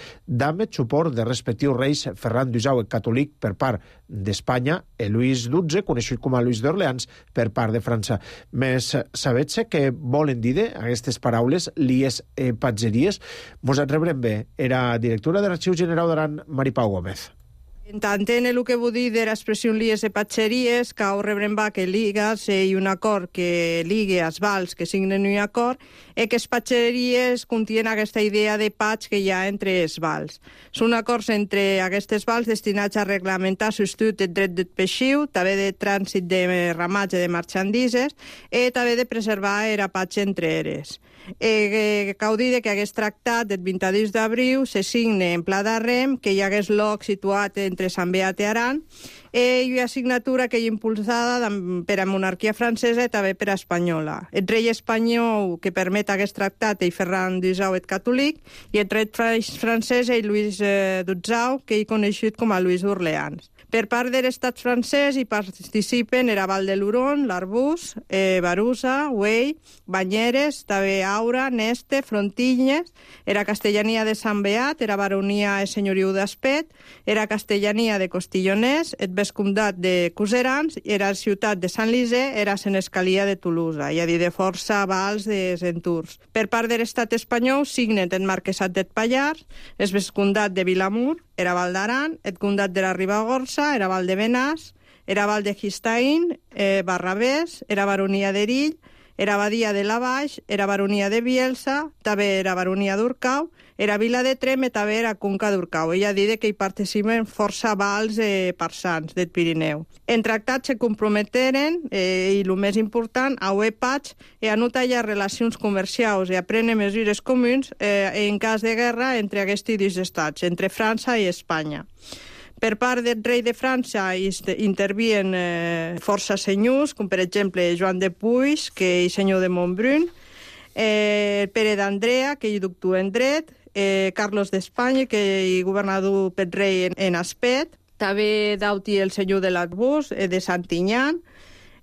amb suport de respectius reis Ferran d'Usau, el catòlic, per part d'Espanya, i Lluís dotze, conegut com a Lluís d'Orleans, per part de França. Més sabets què volen dir aquestes paraules, lies e patxeries? Mos et rebrem bé. Era directora de l'Arxiu General d'Aran, Maripau Gómez. Entén el que vull dir de l'expressió lies e patxeries, que ho rebrem va que ligas i un acord que ligue els vals que signen un acord, i que les patxeries contien aquesta idea de patx que hi ha entre els vals. Són acords entre aquestes vals destinats a reglamentar l'ús del dret del peixiu, també de trànsit de ramatge de marxandises, i també de preservar el patx entre eres. Eh, cal dir que aquest tractat del vint-i-dos d'abril se signe en Pla de Rem, que hi hagués lloc situat entre Sant Beat i Aran, i una signatura que hi ha impulsada per a monarquia francesa i també per a espanyola. El rei espanyol que permet aquest tractat és Ferran d'Usau, el catòlic, i el rei francès és Lluís dotze, que hi conegut com a Lluís d'Orleans. Per part de l'estat francès hi participen era Val de l'Huron, l'Arbús, eh, Barusa, Güell, Banyeres, també Aura, Neste, Frontinyes, era castellania de Sant Beat, era baronia i senyoriu d'Aspet, era castellania de Costilloners, el vescomtat de Cuserans, era ciutat de Sant Lisè, era senescalia de Tolosa, i a dir de força vals de Centurs. Per part de l'estat espanyol signen el marquesat del Pallars, el vescomtat de Vilamur, era Val d'Aran, el comtat de la Ribagorça, era Val de Benàs, era Val de Gistaín, eh, Barravés, era baronia d'Erill, era Badia de la Baix, era baronia de Bielsa, també era baronia d'Urcau, era Vila de Trem i també era Conca d'Urcau. Ella ha dit que hi participen força vals eh, parsans del Pirineu. En tractats se comprometeren, eh, i el més important, a uer patx i a no tallar relacions comercials i a prendre mesures comuns eh, en cas de guerra entre aquests dos estats, entre França i Espanya. Per part del rei de França intervien eh, força senyors, com per exemple Joan de Puig, que és senyor de Montbrun, eh, Pere d'Andrea, que hi doctor en dret, eh, Carlos d'Espanya, que hi governador pel rei en, en Aspet, també Dauti, el senyor de l'Arbús, eh, de Santinyan,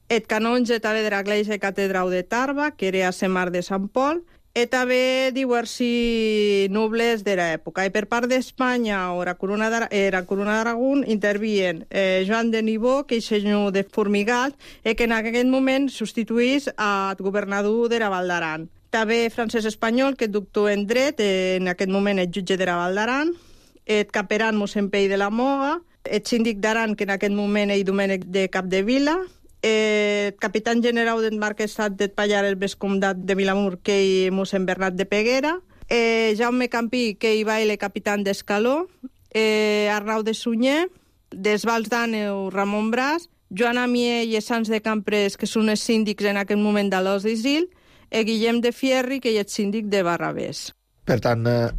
el canonge també de l'església catedral de Tarba, que era a Semar de Sant Pol, i també diversos nobles de l'època. I per part d'Espanya, o la corona d'Aragón, intervien eh, Joan de Nibó, que és senyor de Formigal, i que en aquest moment substituís al governador de la Val d'Aran. També Francesc Espanyol, que és doctor en dret, eh, en aquest moment és jutge de la Val d'Aran, el caperan mossèn Pei de la Moga, el síndic d'Aran, que en aquest moment és Domènec de Capdevila, el capitán general del marquesat del Pallars, el vescomtat de Vilamur, que hi mossèn Bernat de Peguera, eh, Jaume Campí, que hi va el capitán d'Escaló, eh, Arnau de Sunyer, des Vals d'Àneu, Ramon Bràs, Joan Amier i Sans de Camprés, que són els síndics en aquest moment de l'Os d'Isil, i Guillem de Fierri, que és síndic de Barravés. Per tant, eh,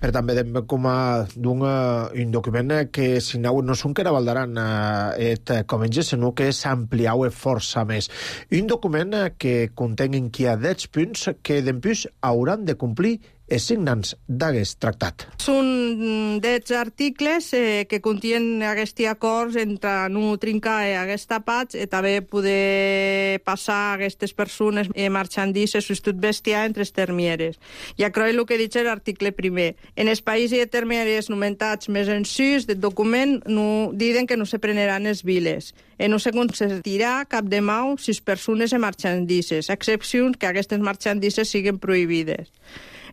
per tant vedem com a d'un un document que signau no són que era Val d'Aran et comença, sinó que s'ampliau força més. Un document que contenen qui ha deu punts que d'empús hauran de complir els signants d'aquest tractat. Són deu articles eh, que contien aquests acords entre no trincar aquesta patx i també poder passar aquestes persones eh, marxandises o tot bestiar entre les termieres. I acroi el que dice l'article primer. En els països i termieres nomentats més en sus del document no, diuen que no se preneran els viles i no se consentirà cap de mau si les persones marxandises, a excepció que aquestes marxandises siguin prohibides.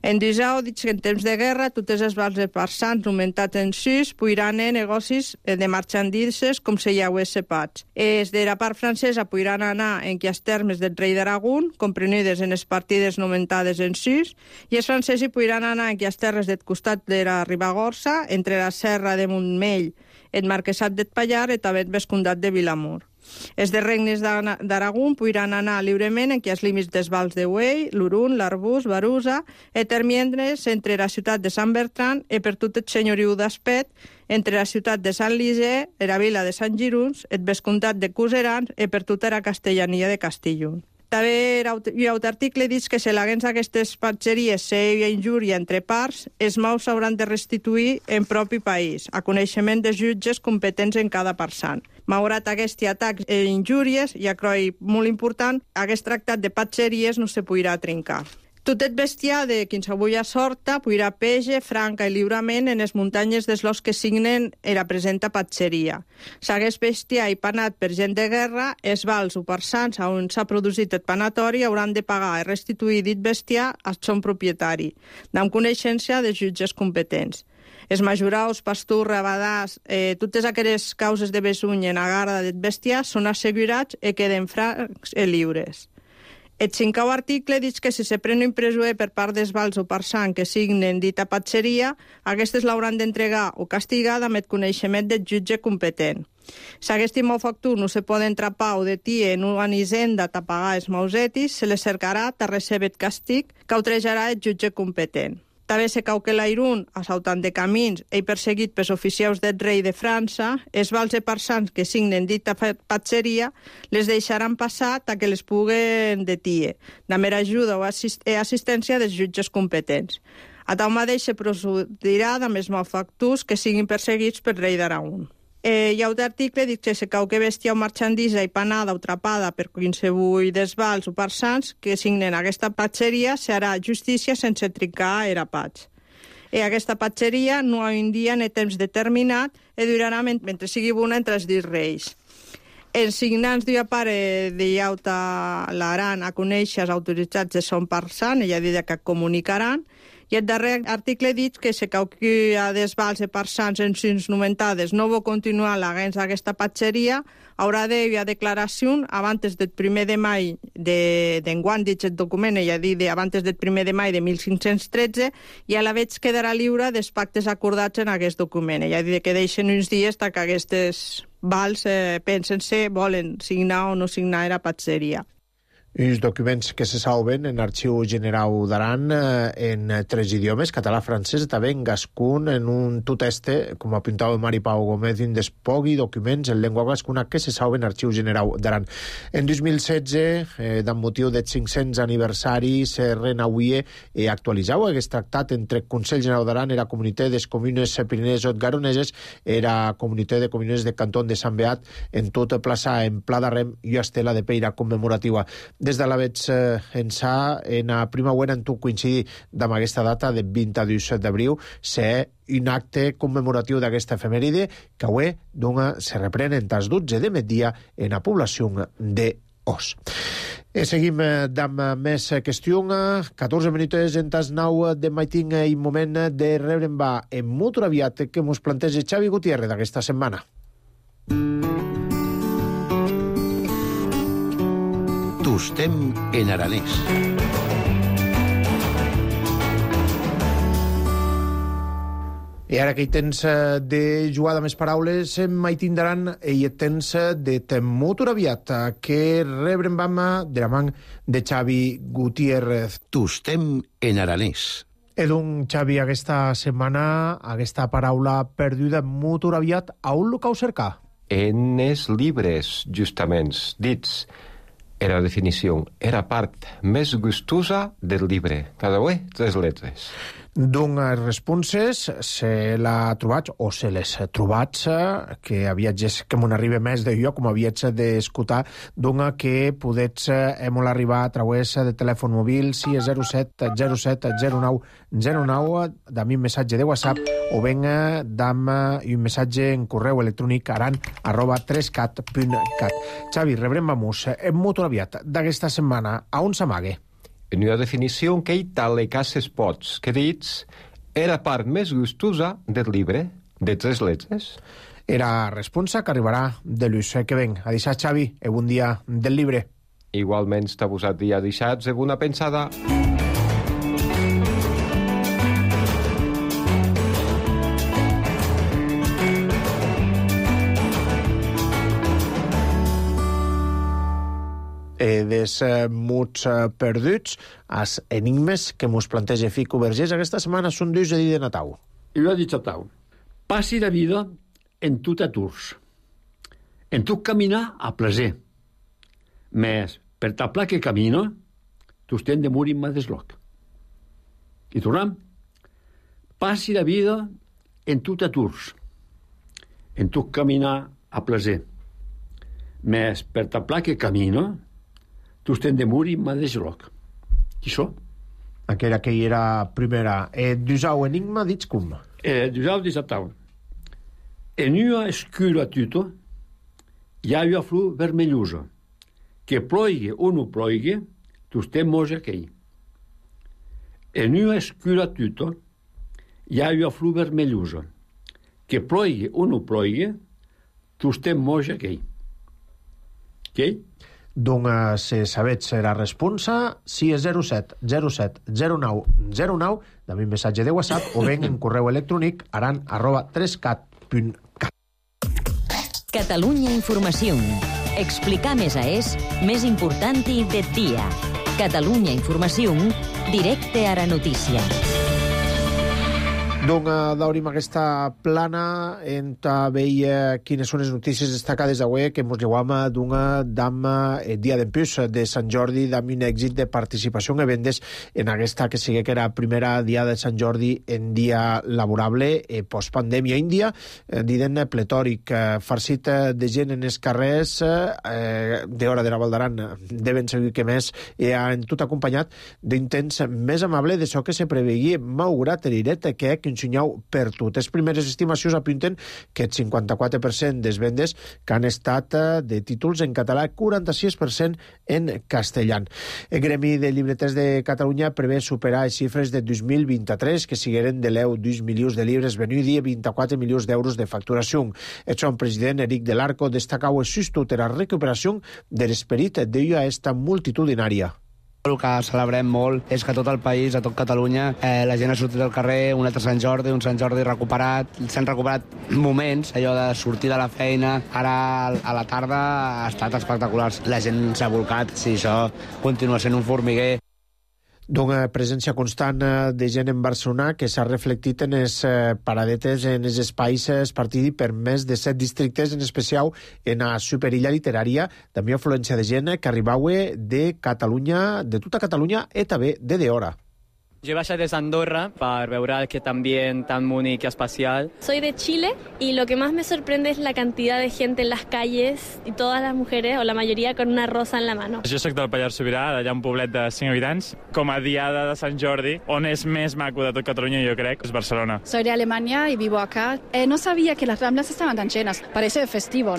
En disau, dic que en temps de guerra, totes les vals de parsans augmentat en sis, puiran en negocis de marxandises com se llaués sepats. Es de la part francesa puiran anar en qui els termes del rei d'Aragón, comprenides en les partides nomentades en sis, i els francesos puiran anar en qui els terres del costat de la Ribagorça, entre la serra de Montmell, el marquesat d'Espallar i també el vescomtat de Vilamur. Els de regnes d'Aragón puiran anar lliurement en qui els límits dels vals de Güell, l'Urun, l'Arbús, Barusa, i termiendres entre la ciutat de Sant Bertran i per tot el senyoriu d'Aspet, entre la ciutat de Sant Liser, la vila de Sant Giruns, el vescomtat de Cuserans i per tota la castellania de Castillon. També hi ha un article que diu que si l'haguens aquestes patxeries hi ha injúria entre parts, els maus s'hauran de restituir en propi país, a coneixement de jutges competents en cada parsant. Malgrat aquests atacs i injúries, i acroi molt important, aquest tractat de patxeries no se podrà trencar. Tot el bestiar de qualsevol sorta podrà pege, franca i lliurament en les muntanyes dels los que signen la presenta patxeria. S'hagués bestiar i panat per gent de guerra, els vals o parsans on s'ha produït el panatori hauran de pagar i restituir dit bestiar al son propietari, amb coneixença de jutges competents. Els majuraus, pasturs, rabadars, eh, totes aquelles causes de besuny en agarda del bestiar són assegurats i queden francs i lliures. El cinquè article diu que si se pren un presoer per part dels vals o parsans que signen dita patxeria, aquestes l'hauran d'entregar o castigar amb el coneixement del jutge competent. Si aquest malfactor no se poden trapar o detir en una hisenda a pagar els mausetis, se les cercarà a recebre el castig que autrejarà el jutge competent. També se cau que l'Airun, assaltant de camins i perseguit pels oficials del rei de França, els vals i parsans que signen dita patxeria les deixaran passar ta que les puguen detir, de mera ajuda o assist assistència dels jutges competents. A tal mateix se procedirà amb els malfactors que siguin perseguits pel rei d'Aragón. Eh, hi ha un article dic que se cau que bestia o marxandisa i panada o trapada per qualsevol dels vals o parsans que signen aquesta patxeria serà justícia sense trincar era patx. I aquesta patxeria no ha un dia ni temps determinat i durarà mentre sigui bona entre els dits reis. Els signants d'una part de llauta l'aran a conèixer els autoritzats de son parsan, ella dit que comunicaran, i el darrer article dit que se cau que a des vals i parsans en sins nomentades no vol continuar l'agens d'aquesta patxeria, haurà d'haver declaració abans del primer de maig d'enguany, dit el document, ella dit abans del primer de maig de mil cinc-cents tretze, i a la vegada quedarà lliure dels pactes acordats en aquest document. Ella dit que deixen uns dies que aquestes vals eh, pensen si volen signar o no signar la patxeria. Uns documents que se salven en Arxiu General d'Aran eh, en tres idiomes, català, francès, també en gascun, en un tot este, com apuntava Mari Pau Gómez, un despogui documents en llengua gascuna que se salven en Arxiu General d'Aran. En dos mil setze, eh, amb motiu del cinc-cents aniversari, se renauia i actualitzau aquest tractat entre Consell General d'Aran i la Comunitat de Comunes Pirinees Garoneses i la Comunitat de Comunes de Cantó de Sant Beat en tot plaça en Pla d'Arrem i estela de peira commemorativa. Des de la veig eh, ençà, en a prima web en tu coincidir amb aquesta data de vint-i-dos d'abril, ser un acte commemoratiu d'aquesta efemèride que avui dona, se reprèn en tas dotze de migdia en la població de Os. E seguim amb més qüestió. catorze minuts en tas nou de maiting i moment de rebre va en molt aviat que mos planteja Xavi Gutiérrez d'aquesta setmana. Tustem en aranès. I ara que hi tens de jugar amb les paraules, mai tindran i hi tens de temut aviat que rebrem vam de la man de Xavi Gutiérrez. Tustem en aranès. Edun, Xavi, aquesta setmana, aquesta paraula perduda molt aviat, a on lo cau cercar? En els llibres, justament, dits. Era definició, era part més gustosa del llibre. Cada vegada tres lletres. D'unes responses se l'ha trobat, o se les ha trobat, que aviatges que m'on arriba més de jo, com aviats d'escoltar, d'una que podets hem arribar a través de telèfon mòbil sis zero set zero set zero nou zero nou, d'ami un missatge de WhatsApp, o ben d'am un missatge en correu electrònic aran arroba tres cat punt cat. Xavi, rebrem vamos en molt aviat d'aquesta setmana. A on s'amague? en una definició que hi tal le cases pots, que dits era part més gustosa del llibre, de tres lletres. Era responsa que arribarà de l'ús que ven. A deixar, Xavi, e bon dia del llibre. Igualment, està posat dia deixats, e bona pensada. Eh, des eh, muts eh, perduts, als enigmes que mos planteja Fico Vergés aquesta setmana són dus de dir de Natau. I ho ha dit Natau. Passi la vida en tot aturs. En tot caminar a plaer. Més, per ta pla que camino, tu estem de morir mà desloc. I tornem. Passi la vida en tot aturs. En tot caminar a plaer. Més, per ta pla que camino, tu estem de morir mà desloc. Qui so? Aquella que hi era primera. Eh, Dusau enigma, dits com? Eh, Dusau dit Natau. En una escura tuto hi ha una flor vermellosa. Que ploigui o no ploigui, tu estem moja aquell. En una escura tuto hi ha una flor vermellosa. Que ploigui o no ploigui, tu estem moja aquell. Què? Doncs, si sabets la responsa, si és zero set zero set zero nou zero nou, també un missatge de WhatsApp o ben en correu electrònic aran arroba tres cat punt cat. Catalunya Informació. Explicar més a és més important i de dia. Catalunya Informació, directe a la notícia. Doncs d'obrim aquesta plana en veia quines són les notícies destacades d'avui que ens llevem d'una dama el dia d'empús de Sant Jordi amb un èxit de participació en evendes en aquesta que sigui que era primera dia de Sant Jordi en dia laborable eh, postpandèmia. Índia, eh, diden pletòric, eh, farcit de gent en els carrers eh, d'hora de la Val d'Aran deuen seguir que més eh, en tot acompanyat d'un temps més amable de so que se preveia malgrat l'Iret que un senyau per tot. Les primeres estimacions apunten que el cinquanta-quatre per cent des vendes que han estat de títols en català, quaranta-sis per cent en castellà. El Gremi de Llibreters de Catalunya prevé superar les xifres de dos mil vint-i-tres, que sigueren de l'eu dos milions de llibres venut i vint-i-quatre milions d'euros de facturació. El seu president, Eric del Arco, destacau el sustot de la recuperació de l'esperit d'ella esta multitudinària. El que celebrem molt és que tot el país, a tot Catalunya, eh, la gent ha sortit al carrer, un altre Sant Jordi, un Sant Jordi recuperat. S'han recuperat moments, allò de sortir de la feina. Ara, a la tarda, ha estat espectacular. La gent s'ha volcat, si això continua sent un formiguer. D'una presència constant de gent en Barcelona que s'ha reflectit en les paradetes, en els espais espartits per més de set districtes, en especial en la superilla literària, també afluència de gent que arribava de Catalunya, de tota Catalunya i també de d'hora. Yo he bajado desde Andorra para ver aquest ambient tan único y especial. Soy de Chile y lo que más me sorprende es la cantidad de gente en las calles y todas las mujeres, o la mayoría, con una rosa en la mano. Jo soc del Pallars Sobirà, d'allà un poblet de cinc habitants. Com a diada de Sant Jordi, on és més maco de tot Catalunya, jo crec, és Barcelona. Soy de Alemania y vivo acá. Eh, no sabía que las Ramblas estaban tan llenas. Parece festivo.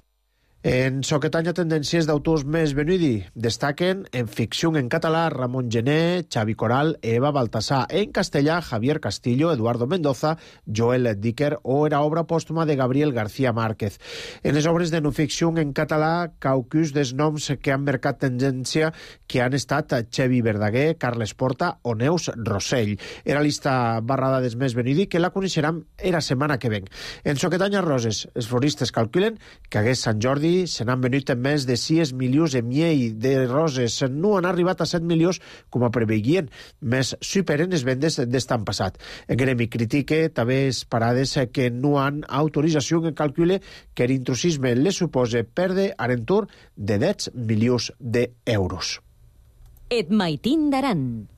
En Soquetanya, tendències d'autors més venudi. Destaquen en ficció en català Ramon Gené, Xavi Coral, Eva Baltasar. En castellà, Javier Castillo, Eduardo Mendoza, Joel Dicker o era obra pòstuma de Gabriel García Márquez. En les obres de no ficció en català, caucus dels noms que han marcat tendència que han estat Xevi Verdaguer, Carles Porta o Neus Rossell. Era lista barrada des més venudi que la coneixeram era setmana que ven. En Soquetanya Roses, els floristes calculen que hagués Sant Jordi se n'han venut més de sis milions de miei de roses. No han arribat a set milions com a preveien, més superen les vendes d'estan passat. El gremi critique també les parades que no han autorització en calcule que l'intrusisme les suposa perdre a l'entorn de deu milions d'euros. Et maitin d'Aran.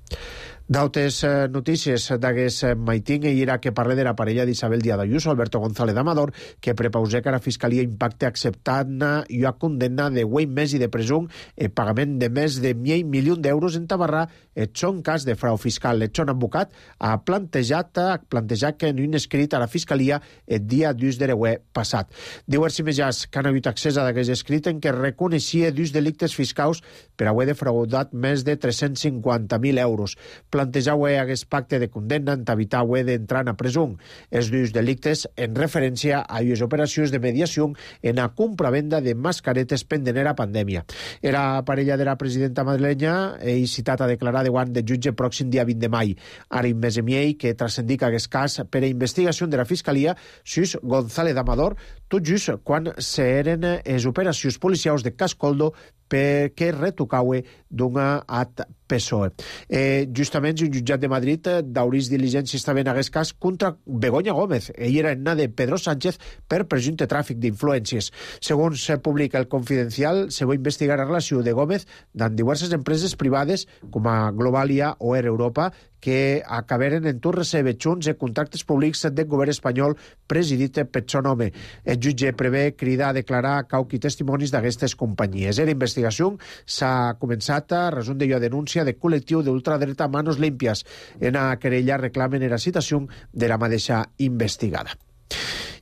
D'altres notícies d'aquest maiting i era que parla de la parella d'Isabel Díaz Ayuso, Alberto González Amador, que prepausé que la Fiscalia impacte acceptant i a condemna de huit mesos de presó e pagament de més de mig milió d'euros en tabarrar et son cas de frau fiscal. Et son advocat ha plantejat, ha plantejat que en un escrit a la Fiscalia el dia dos de reuer passat. Diu Erci Mejàs que han hagut accés a d'aquest escrit en què reconeixia dos delictes fiscals per haver defraudat més de tres-cents cinquanta mil euros. Plantejau aquest pacte de condemna en evitar haver d'entrar a presó. Els dos delictes en referència a les operacions de mediació en la compra-venda de mascaretes pendent a pandèmia. Era parella de la presidenta madrilenya i citat a declarar davant de jutge pròxim dia vint de maig. Ara més emiei que transcendica aquest cas per a investigació de la Fiscalia sus González Amador, tot just quan s'eren les operacions policials de Cascoldo perquè retocaue d'una at P S O E. Eh, justament, un jutjat de Madrid d'aurís diligència estava en aquest cas contra Begoña Gómez. Ella era nena de Pedro Sánchez per presumpte tràfic d'influències. Segons se publica el Confidencial, se va investigar la relació de Gómez amb diverses empreses privades com a Globalia o Air Europa que acabaren en tot recebre junts de contractes públics del govern espanyol presidit per son home. El jutge prevé cridar a declarar cauqui testimonis d'aquestes companyies. La investigació s'ha començat a resum de la denúncia de col·lectiu d'ultradreta Manos Limpias. En la querella reclamen la citació de la mateixa investigada.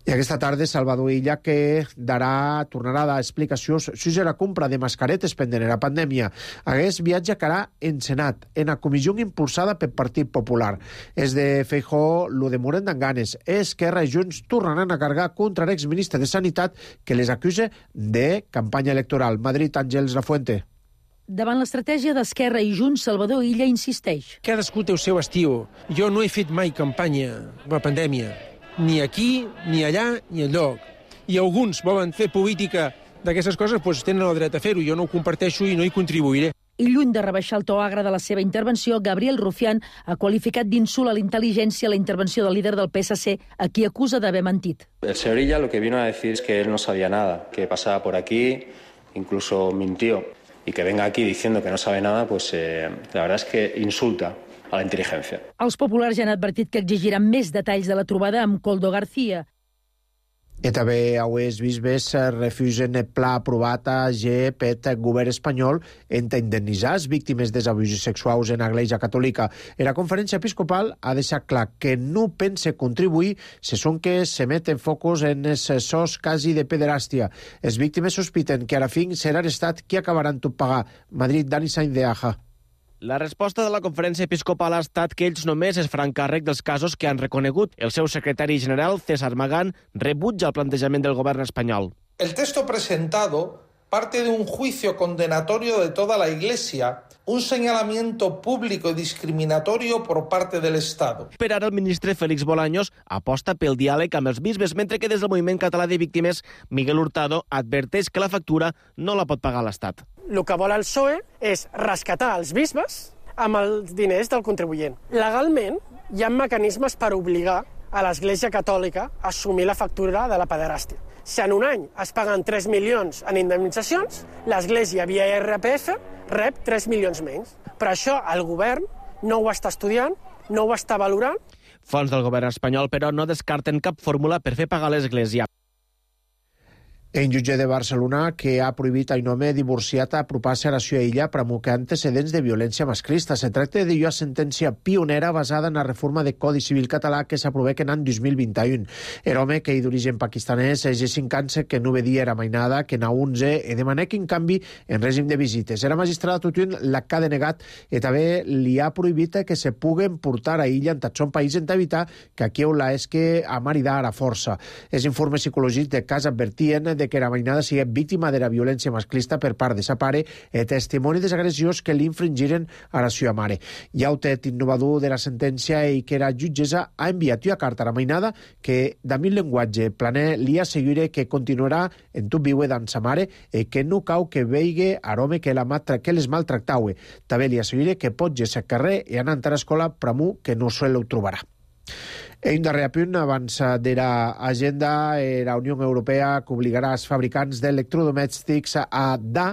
I aquesta tarda Salvador Illa que darà, tornarà a dar explicacions sobre la compra de mascaretes pendent la pandèmia. Aquest viatge que harà en Senat, en la comissió impulsada pel Partit Popular. És de Feijóo, lo de Moren d'Anganes. Esquerra i Junts tornaran a cargar contra l'exministre de Sanitat que les acuse de campanya electoral. Madrid, Àngels Lafuente. Davant l'estratègia d'Esquerra i Junts, Salvador Illa insisteix. Cadascú té el seu estiu. Jo no he fet mai campanya amb la pandèmia. Ni aquí, ni allà, ni enlloc. I alguns volen fer política d'aquestes coses, doncs tenen el dret a fer-ho. Jo no ho comparteixo i no hi contribuiré. I lluny de rebaixar el to agre de la seva intervenció, Gabriel Rufián ha qualificat d'insult a la intel·ligència la intervenció del líder del P S C, a qui acusa d'haver mentit. El señor Illa lo que vino a decir es que él no sabía nada, que pasaba por aquí, incluso mintió. Y que venga aquí diciendo que no sabe nada, pues eh, la verdad es que insulta a la intel·ligència. Els populars ja han advertit que exigiran més detalls de la trobada amb Koldo García. I també els bisbes refusen el pla aprovat a G per el govern espanyol en indemnitzar les víctimes d'abusos sexuals en l'Església Catòlica. En la conferència episcopal ha deixat clar que no pense contribuir si són que s'emeten focus en els sos quasi de pederàstia. Les víctimes sospiten que a la fin serà l'Estat qui acabaran tot pagar. Madrid, Dani Sainz de Aja. La resposta de la conferència episcopal ha estat que ells només es faran càrrec dels casos que han reconegut. El seu secretari general, César Magán, rebutja el plantejament del govern espanyol. El texto presentado parte de un juicio condenatorio de toda la Iglesia, un señalamiento público y discriminatorio por parte del Estado. Per ara, el ministre Félix Bolaños aposta pel diàleg amb els bisbes, mentre que des del Moviment Català de Víctimes, Miguel Hurtado adverteix que la factura no la pot pagar l'Estat. El que vol el P S O E és rescatar els bisbes amb els diners del contribuent. Legalment, hi ha mecanismes per obligar a l'Església Catòlica a assumir la factura de la pederàstia. Si en un any es paguen tres milions en indemnitzacions, l'Església via R P F rep tres milions menys. Però això el govern no ho està estudiant, no ho està valorant. Fons del govern espanyol, però, no descarten cap fórmula per fer pagar l'Església. En jutge de Barcelona, que ha prohibit a un home divorciat a apropar-se a la seva illa per amocar antecedents de violència masclista. Se tracta de una sentència pionera basada en la reforma de Codi Civil català que s'aprovà en l'any dos mil vint-i-un. El home, que és d'origen pakistanès, és de cinc anys que no vedia era mainada, que n'ha onze, i demana que en canvi en règim de visites. Era magistrada Tutun l'ha denegat i també li ha prohibit que se puguen portar a illa en tot son país en evitar que aquí la és que a maridar a la força. Els informes psicològics de cas advertien de que la mainada sigui víctima de la violència masclista per part de sa pare i testimoni de les agressions que li infringiren a la seva mare. I el tet innovador de la sentència i que la jutgessa ha enviat una carta a la mainada que, amb un llenguatge planer, li assegura que continuarà en tot viure d'en sa mare i que no cau que veigui a l'home que, la que les maltractaue. També li assegura que pot ser al carrer i anar a l'escola pr'amú que no se lo trobarà. En un darrer apunt, abans de l'agenda, la Unió Europea que obligarà els fabricants d'electrodomèstics a dar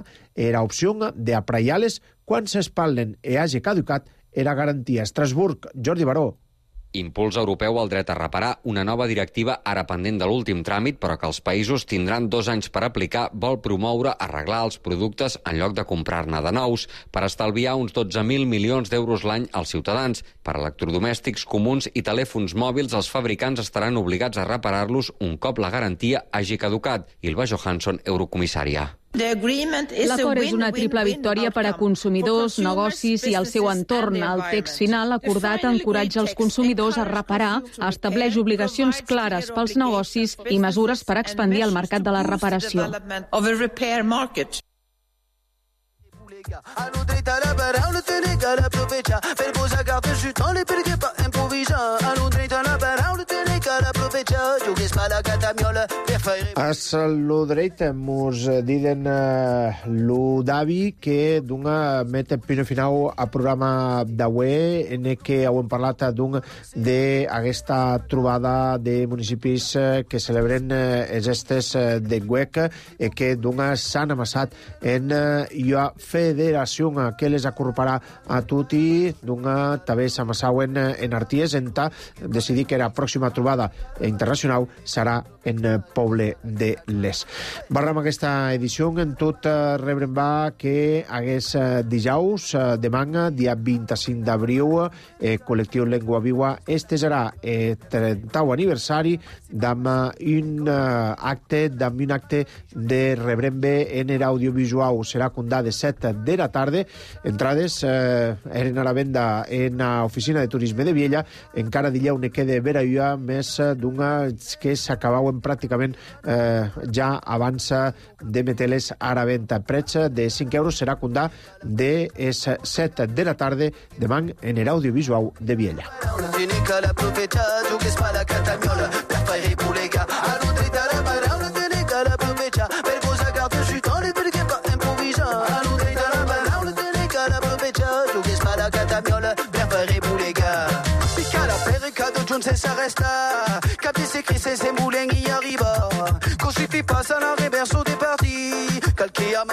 l'opció d'apraiar-les quan s'espatlen i hagi caducat era garantia. Estrasburg, Jordi Baró. Impuls europeu al dret a reparar, una nova directiva ara pendent de l'últim tràmit, però que els països tindran dos anys per aplicar, vol promoure arreglar els productes en lloc de comprar-ne de nous, per estalviar uns dotze mil milions d'euros l'any als ciutadans. Per electrodomèstics comuns i telèfons mòbils, els fabricants estaran obligats a reparar-los un cop la garantia hagi caducat. Ylva Johansson, eurocomissària. L'acord és una triple victòria per a consumidors, negocis i el seu entorn. El text final acordat encoratja els consumidors a reparar, estableix obligacions clares pels negocis i mesures per expandir el mercat de la reparació. Es l'Udreit mos diden uh, l'Udavi que d'una meta pino final a programa d'avui en què hem parlat d'un d'aquesta trobada de municipis que celebren uh, els estes uh, de Guec i que d'una s'han amassat en uh, la federació que les acorparà a tutti d'una també s'amassauen en Arties en ta decidir que la pròxima trobada internacional serà en Poble de Les. Barram aquesta edició en tot rebrem va que hagués dijous de manga, dia vint-i-cinc d'abril, el col·lectiu Lengua Viva estesarà el trentau aniversari d'amb un acte d'amb un acte de rebrembe en l'audiovisual. Serà condat de set de la tarda. Entrades eh, eren a la venda en l'oficina de turisme de Viella. Encara dillau ne queda vera més d'una que s'acabaven pràcticament eh, ja abans de meteles a la venda. Preig de cinc euros serà condat de set de la tarda demà en l'audiovisual de Viella. Sense restar, cap de ser cris sense volent i arribar. Que suffit pas a la reverso de partir.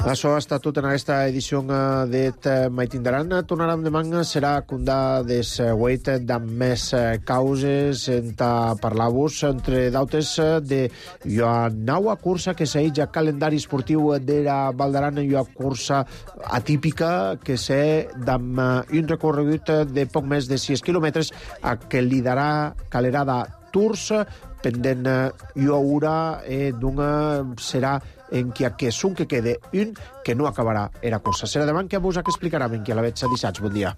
Això ha estat tot en aquesta edició de Maitindaran. Tornarem demà, serà condà des Wait d'amb més causes en parlar-vos, entre d'altres, de la nova cursa que segueix al calendari esportiu de la Valdaran, una cursa atípica que sé d'amb un recorregut de poc més de sis quilòmetres a que liderarà Calerada Tours, pendent i haurà eh, d'una serà en qui aquest un que quede un que no acabarà era cursa. Serà demà que vos que explicarà en qui a la veig dissabte. Bon dia.